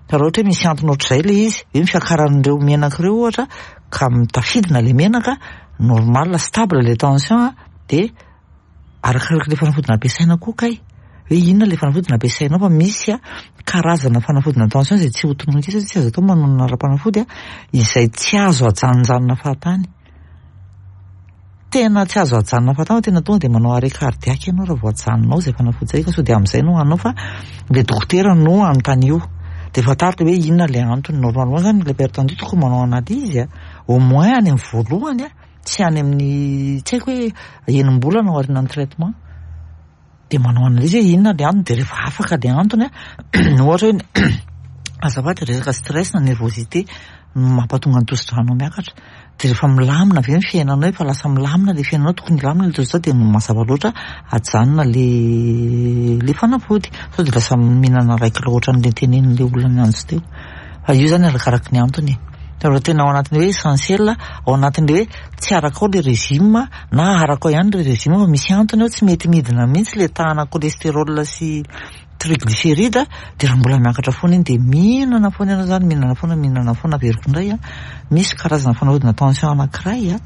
Fa raha ohatra hoe misy antony ohatr'izay le izy hoe ny fiakaran'ireo menaka ireo ohatra ka mitafidina le menaka, normal, stable le tension, dia arakarak'le fanafodina ampiasaina koa kay hoe inona le fanafodina ampiasainao, fa misy a karazana fanafodina tension izay tsy ho tononina satria tsy azo atao manonona ara-panafody a, izay tsy azo ajanonjanona fahatany, tena tsy azo ajanona fahatany, fa tena tonga dia manao arrêt cardiaque ianao raha vao ajanonao izay fanafody izay, ka sao dia amin'izay no hanao, fa le dokotera no anontany dia fantariko hoe inona le antony. Normalement zany le hypertendu tokony manao analyse a au moins any amin'ny voalohany a, tsy any amin'ny tsy haiko hoe enim-bolana ao aorian'ny traitement, dia manao analyse hoe inona le antony. Dia rehefa afaka le antony a, ohatra hoe azafady, resaka stress na nervosité mampatonga ny tosidranao miakatra, dia rehefa milamina ve ny fiainanao, efa lasa milamina le fiainanao, tokony hilamina le tosidra, dia mazava loatra ajanona le le fanafody, sao dia lasa mihinana iray kilao ohatran'le tenenin'le olona miantso teo. Fa io zany arakaraky ny antony e. Raha tena ao anatin'le hoe essentiel, ao anatin'le hoe tsy arakao le régime na arakao ihany le régime fa misy antony ao tsy mety midina mihitsy le tahana cholestérol sy triglycéride, dia raha mbola miakatra foana iny dia mihinana foana ianao zany, mihinana foana, mihinana foana. Averiko indray a, misy karazana fanafodina tension anankiray a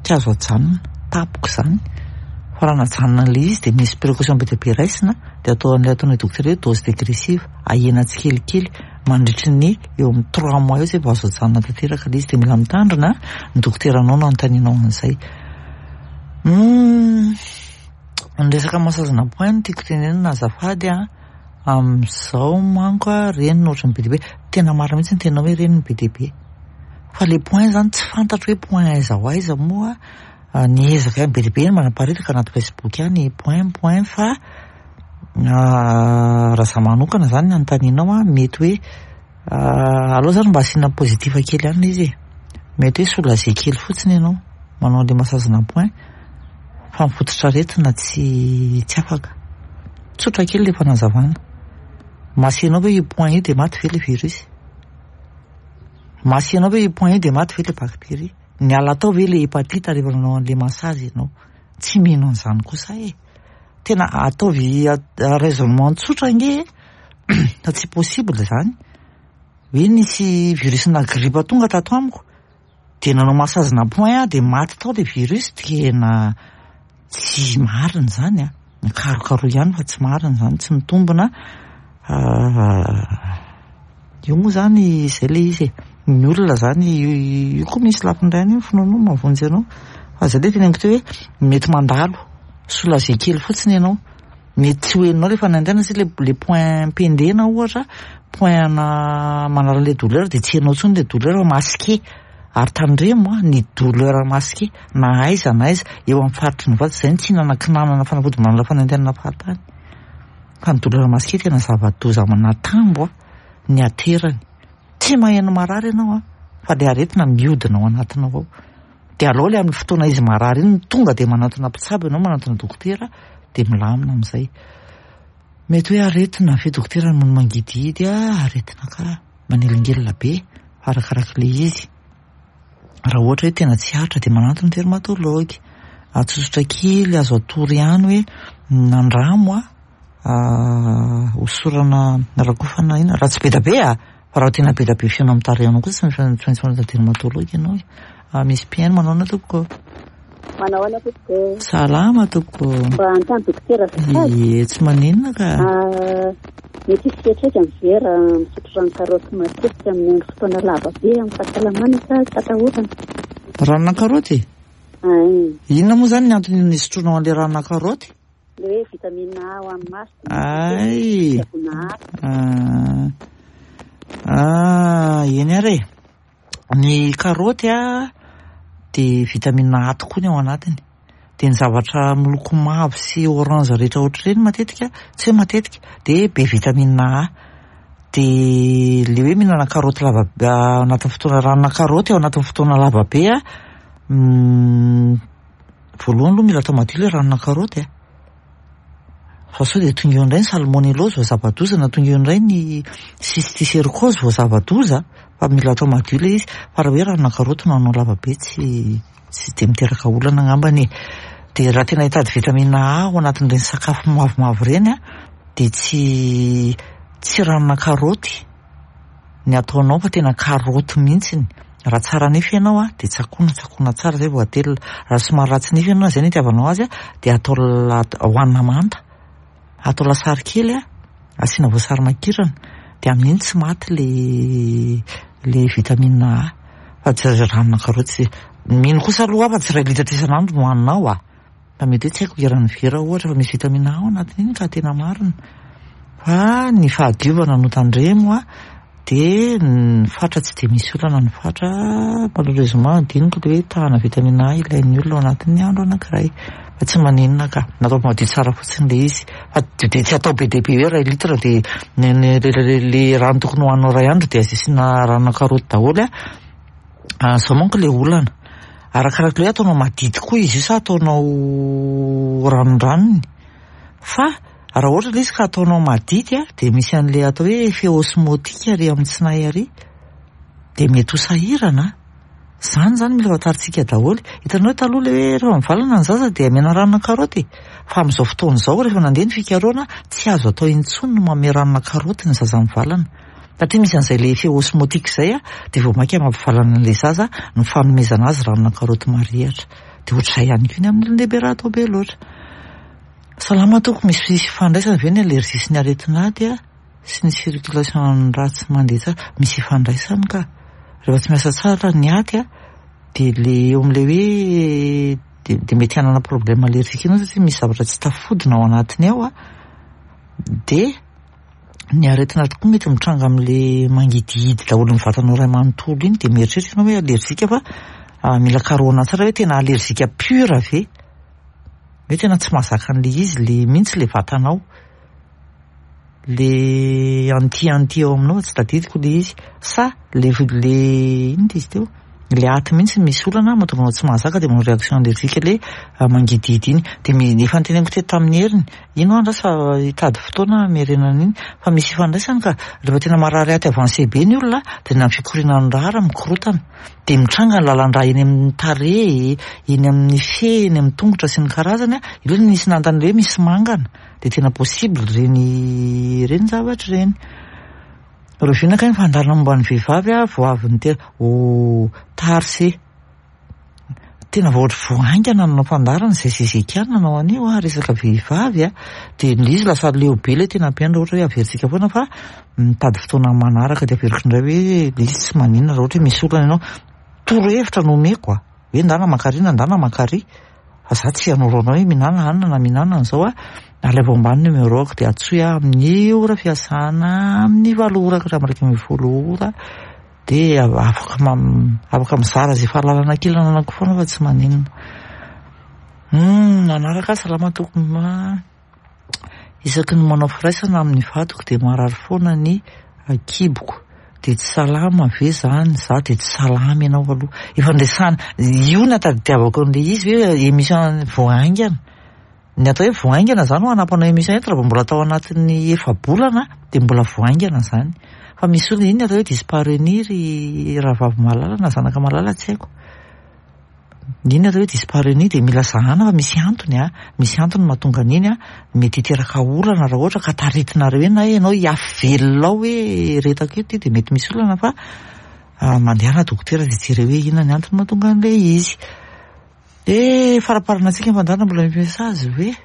tsy azo ajanona tapoka izany, fa raha najanona an'le izy dia misy précaution be dia be raisina, dia atao an'ilay ataon'ny dokotera hoe dose dégressive, ahena tsikelikely mandritry ny eo amin'ny trois mois eo zay vao azo ajanona tanteraka le izy. Dia mila mitandrina, ny dokoteranao no anontanianao an'izay. Ny resaka massage-na point no tiako tenenina azafady a. Amin'izao manko a reny no ohatran'ny be dia be, tena marina mihitsy ny tena hoe reny no be dia be, fa le point zany tsy fantatro hoe point aiza ho aiza moa. Niezaka ihany, be dia be ny manaparitaka anaty Facebook any point point, fa raha za manokana zany ny anontanianao a, mety hoe aleo zany mba asiana positif kely ihany izy e, mety hoe soulagé kely fotsiny ianao manao an'le massage-na point, fa mifototra aretina tsy tsy afaka. Tsotra kely le fanazavana, masianao ve io point io dia maty ve le virus? Masianao ve io point io dia maty ve le bactérie? Niala tao ve le hépatite rehefa nanao an'le massage ianao? Tsy mino an'izany kosa e. Tena ataovy raisonnement tsotra nge fa tsy possible zany hoe nisy virus na grippe tonga tato amiko de nanao massage na point a de maty tao le virus. Tena tsy marina zany a, mikarokaroa ihany fa tsy marina zany, tsy mitombina io moa zany. Zay le izy e, ny olona zany io koa misy lafiny ray any io, finoanao mahavonjy anao, fa zay le teneniko teo hoe mety mandalo soulagé kely fotsiny ianao, mety tsy ho heninao le fanaintainana satria le le point pendena ohatra, point ana manala le douleur, de tsy henonao intsony le douleur masqué. Ary tandremo a, ny douleur masqué na aiza na aiza eo amin'ny faritry ny vatana zay ny tsy hinanakinanana fanafody manala fanaintainana fahatany, fa ny douleur masqué tena zava-doza manatambo a ny aterany. Tsy maheno marary ianao a, fa le aretina miodina ao anatinao ao. De alao le amin'ny fotoana izy marary iny tonga de manantona mpitsabo ianao, manantona dokotera, de milamina amin'izay. Mety hoe aretina ve dokotera ny mangidihidy a? Aretina ka manelingelina be fa arakarak'le izy. Raha ohatra hoe tena tsy aritra de manantona dermatologue. Atsotsotra kely azo atoro ihany hoe nandramo a, hosorana rakofana ina raha tsy be da be a, fa raha tena be da be fihaona amin'ny tarehinao kosa tsy maintsy manantona dermatologue ianao e. Misy mpihaino manao anao tompoko. Manao ahoana tompoko? Salama tompoko. Mba anontany dokotera azafady. Ie, tsy maninona ka. Mety hisy fiantraikany ve raha misotro rano karaoty matetika amin'ny andro fotoana lava be amin'ny fahasalamana sa tsy atahorana? Ranona karaoty? Ay. Inona moa zany ny antony nisotronao an'le ranona karaoty? Le hoe vitamine A ho an'ny maso. Ay. Fitsaboana aty. Ah, ah, eny ary e. Ny karaoty a de vitamine A tokoa ny ao anatiny. De ny zavatra miloko mavo sy orange rehetra ohatr'ireny matetika, tsy hoe matetika, de be vitamine A. De le hoe mihinana karaoty lava ao anatin'ny fotoana, ranona karaoty ao anatin'ny fotoana lava be a, voalohany aloha mila atao madio le ranona karaoty a. Fa sao de tonga eo indray ny salmonellose vao zava-doza, na tonga eo indray ny cysticercose vao zava-doza, fa mila atao madio le izy. Fa raha hoe ranona karaoty no hanao lava be, tsy tsy de miteraka olana angambany e. De raha tena hitady vitamine A ao anatin'ireny sakafo mavomavo ireny a, de tsy tsy ranona karaoty ny ataonao fa tena karaoty mihitsiny. Raha tsara nify ianao a, de tsakoana tsakoana tsara zay vao atelina. Raha somary ratsy nify ianao, zay no itiavanao azy a, de atao la hohanina manta, atao lasary kely a, asiana voasary makirana, de amin'iny tsy maty le le vitamine A. Fa tsy ranona karaoty, mino kosa aloha fa tsy iray litatra isan'andro no hohaninao a, fa mety hoe tsy haiko eran'ny vera ohatra fa misy vitamine A ao anatin'iny ka tena marina. Fa ny fahadiovana no tandremo a, de ny fatra tsy de misy olana ny fatra, malheureusement adinoko le hoe tahana vitamine A ilain'ny olona ao anatin'ny andro anankiray, fa tsy maninona ka, natao madio tsara fotsiny le izy, fa de tsy atao be dia be hoe iray litre de ny le rano tokony hohaninao iray andro de asiana ranona karaoty daholo a. Zao manko le olana, arakaraka le hoe ataonao madity koa izy io sa ataonao ranondranony, fa raha ohatra le izy ka ataonao madity a, de misy an'le atao hoe effet osmotique ary amin'ny tsinay ary, de mety ho sahirana. Zany zany mila fantarintsika daholo. Hitanao taloha le hoe rehefa mivalana ny zaza de amena ranona karaoty, fa amin'izao fotoana izao rehefa nandeha ny fikarohana tsy azo atao intsony ny manome ranona karaoty ny zaza mivalana, satria misy an'izay le effet osmotique zay a, de vao mainka mampivalana an'le zaza ny fanomezana azy ranona karaoty marihitra. De ohatr'izay ihany koa ny amin'ny olon-dehibe raha atao be loatra. Salama tompoko, misy ifandraisana ve ny allergie sy ny aretin'aty a sy ny circulation ratsy mandeha tsara? Misy ifandraisany ka. Rehefa tsy miasa tsara ny aty a, de le eo amin'le hoe de de mety hanana problème allergique ianao satria misy zavatra tsy tafodina ao anatiny ao a. De ny aretin'aty koa mety mitranga amin'le mangidihidy daholo ny vatanao iray manontolo iny, de mieritreritra ianao hoe allergique, fa mila karohina tsara hoe tena allergique pure ve, hoe tena tsy mahazaka an'le izy le mihitsy le vatanao, le anti anti ao aminao, tsy tadidiko le izy, sa le le inona izy teo. Le aty mihitsy misy olana mahatonga anao tsy mahazaka, dia manao réaction allergique le mangidihidy iny. Dia efa noteneniko teto tamin'ny heriny ino aho andraso fa hitady fotoana hamerenana iny, fa misy ifandraisany ka. Rehefa tena marary aty avancé be ny olona, dia na ny fikorianan'ny rà ary mikorotana, dia mitranga ny lalan-drà eny amin'ny tarehy, eny amin'ny fe, eny amin'ny tongotra sy ny karazany. Ireo no nisy nanontany hoe misy mangana, dia tena possible ireny ireny zavatra ireny. Rahoviana kay ny fandaharana momba ny vehivavy a vao avy niteraka? Oh, tarse tena vao ohatry vao haingana nanao fandaharana izay zezeka nanao an'io a resaka vehivavy a, dia ilay izy lasa leo be ilay tena ampianina, ohatra hoe averintsika foana, fa mitady fotoana manaraka dia averiko indray hoe ilay izy tsy maninona raha ohatra hoe misy olana ianao. Torohevitra no omeko a, hoe ndana makary na ndana makary, fa za tsy hanoro anao hoe mihinana hanina na mihinana an'izao a. Alaivo ambany numéro-ako dia antsoy aho amin'ny ora fiasana, amin'ny valo ora ka hatramin'ny iraika ambin'ny folo ora, dia afaka afaka mizara izay fahalalana kely ananako foana fa tsy maninona. Manaraka, salama tompoko, isaky ny manao firaisana amin'ny vadiko dia marary foana ny kiboko, dia tsy salama ve zany? Za dia tsy salama ianao aloha. Efa nresahana io, natadidiavako an'ilay izy hoe émission vao haingana. Ny atao hoe vao haingana zany ho anampanao émission eto, raha vao mbola tao anatin'ny efa-bolana dia mbola vao haingana zany. Fa misy olona iny atao hoe dyspareunie, ry rahavavy malala na zanaka malala, tsy haiko. Iny atao hoe dyspareunie dia mila zahana fa misy antony a, misy antony mahatonga an'iny a, mety hiteraka olana raha ohatra ka taritinareo eny na ianao hiafy velona ao hoe retako eto dia mety misy olana, fa mandehana dokotera dia jereo hoe inona ny antony mahatonga an'ilay izy. Dia faraparana antsika ny fandaharana, mbola misy message ve?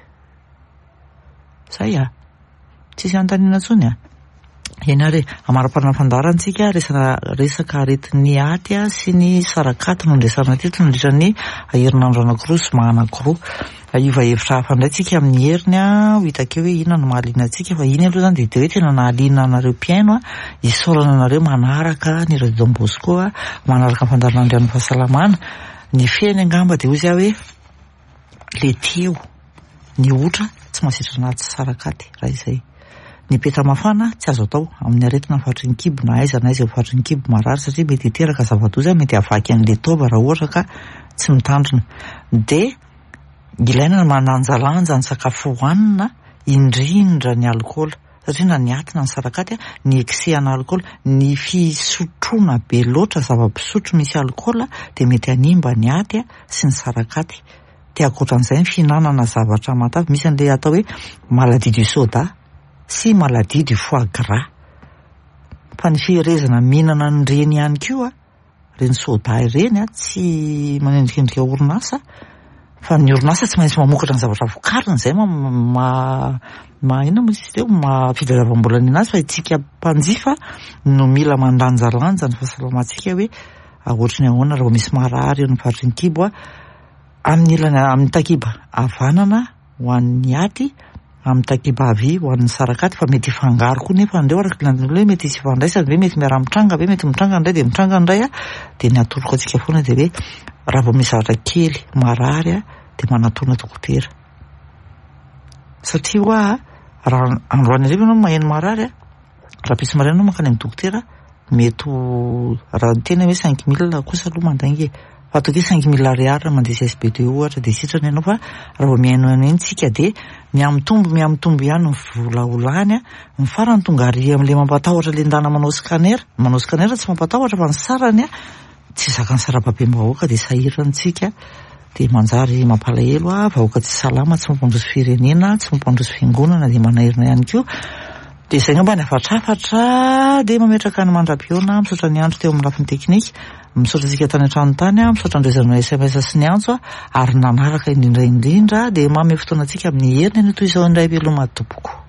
Zay a, tsisy anontaniana intsony a. Eny ary, amaraparana fandaharana antsika, resaka resaka aretin'ny aty a sy ny sarakaty no nresahana teto nandritra ny herinandro anankiroa sy zoma anankiroa. Hiova hevitra hafa indray tsika amin'ny heriny a, ho hita akeo hoe inona no mahaliana antsika, fa iny aloha zany dia de hoe tena nahaliana anareo mpihaino a. Isaorana anareo manaraka ny Radio Don Bosco a, manaraka ny fandaharana Andrian'ny fahasalamana. Ny fehiny angamba dia hoy aho hoe le teo ny otra tsy mahasitrana aty sarakaty raha izay. Ny peta mafana tsy azo atao amin'ny aretina faritry ny kibo na aiza na aiza eo faritry ny kibo marary, satria mety hiteraka zava-doza, mety havaky an'ilay taova raha ohatra ka tsy mitandrina. Dia ilaina ny mandanjalanja ny sakafo hohanina, indrindra ny alikaola, satria na ny aty na ny sarakaty ny excès ana alikaola, ny fisotroana be loatra zava-pisotro misy alikaola dia mety hanimba ny aty sy ny sarakaty. Dia ankoatran'izay ny fihinanana zavatra matavy, misy an'ilay atao hoe maladie du soda sy maladie du foie gras. Fa ny fiherezana mihinana an'ireny ihany koa, ireny soda ireny a, tsy manendrikendrika orinasa, fa ny orinasa tsy maintsy mamokatra ny zavatra vokariny, izay ma ma ma inona moa izy teo, ma fitadiavam-bola ny anazy, fa isika mpanjifa no mila mandanjalanja ny fahasalamantsika hoe ohatry ny ahoana raha vao misy marary eo amin'ny faritry ny kibo a, amin'ny ilany amin'ny takiba havanana ho an'ny aty, amin'ny takiba havia ho an'ny sarakaty, fa mety hifangaro koa nefa andreo araka ilay hoe mety hisy ifandraisany ve, mety miara-mitranga ve, mety mitranga indray dia mitranga indray a. Dia ny atoroko antsika foana dia hoe raha vao misy zavatra kely marary a, dia manatona dokotera, satria hoa raha androany hariva ianao maheno marary a, raha pitsy maraina ianao mankany amin'ny dokotera, mety ho raha ny tena hoe cinq mille kosa aloha mandainga e, fa ataoko hoe cinq mille ariary raha mandeha C S B deux ohatra dia sitrana ianao. Fa raha vao mihainohaino eny tsika dia mihamitombo mihamitombo ihany ny vola ho lany a, ny farany tonga ary amin'ilay mampatahotra ilay ndana manao scanner, manao scanner tsy mampatahotra fa ny sarany a tsy zakan'ny sarababem-bahoaka, dia sahirana tsika, dia manjary mampalahelo a, vahoaka tsy salama, tsy mampandroso firenena, tsy mampandroso fiangonana, dia manahirana ihany koa. Dia izay angamba ny hafatrafatra, dia mametraka ny mandra-pihaona, misaotra ny andro teo amin'ny lafiny teknika, misaotra antsika tany an-trano tany, misaotra an'ireo S M S sy ny antso, ary nanaraka indrindra indrindra, dia manome fotoana antsika amin'ny heriny anio toy izao indray, veloma tompoko.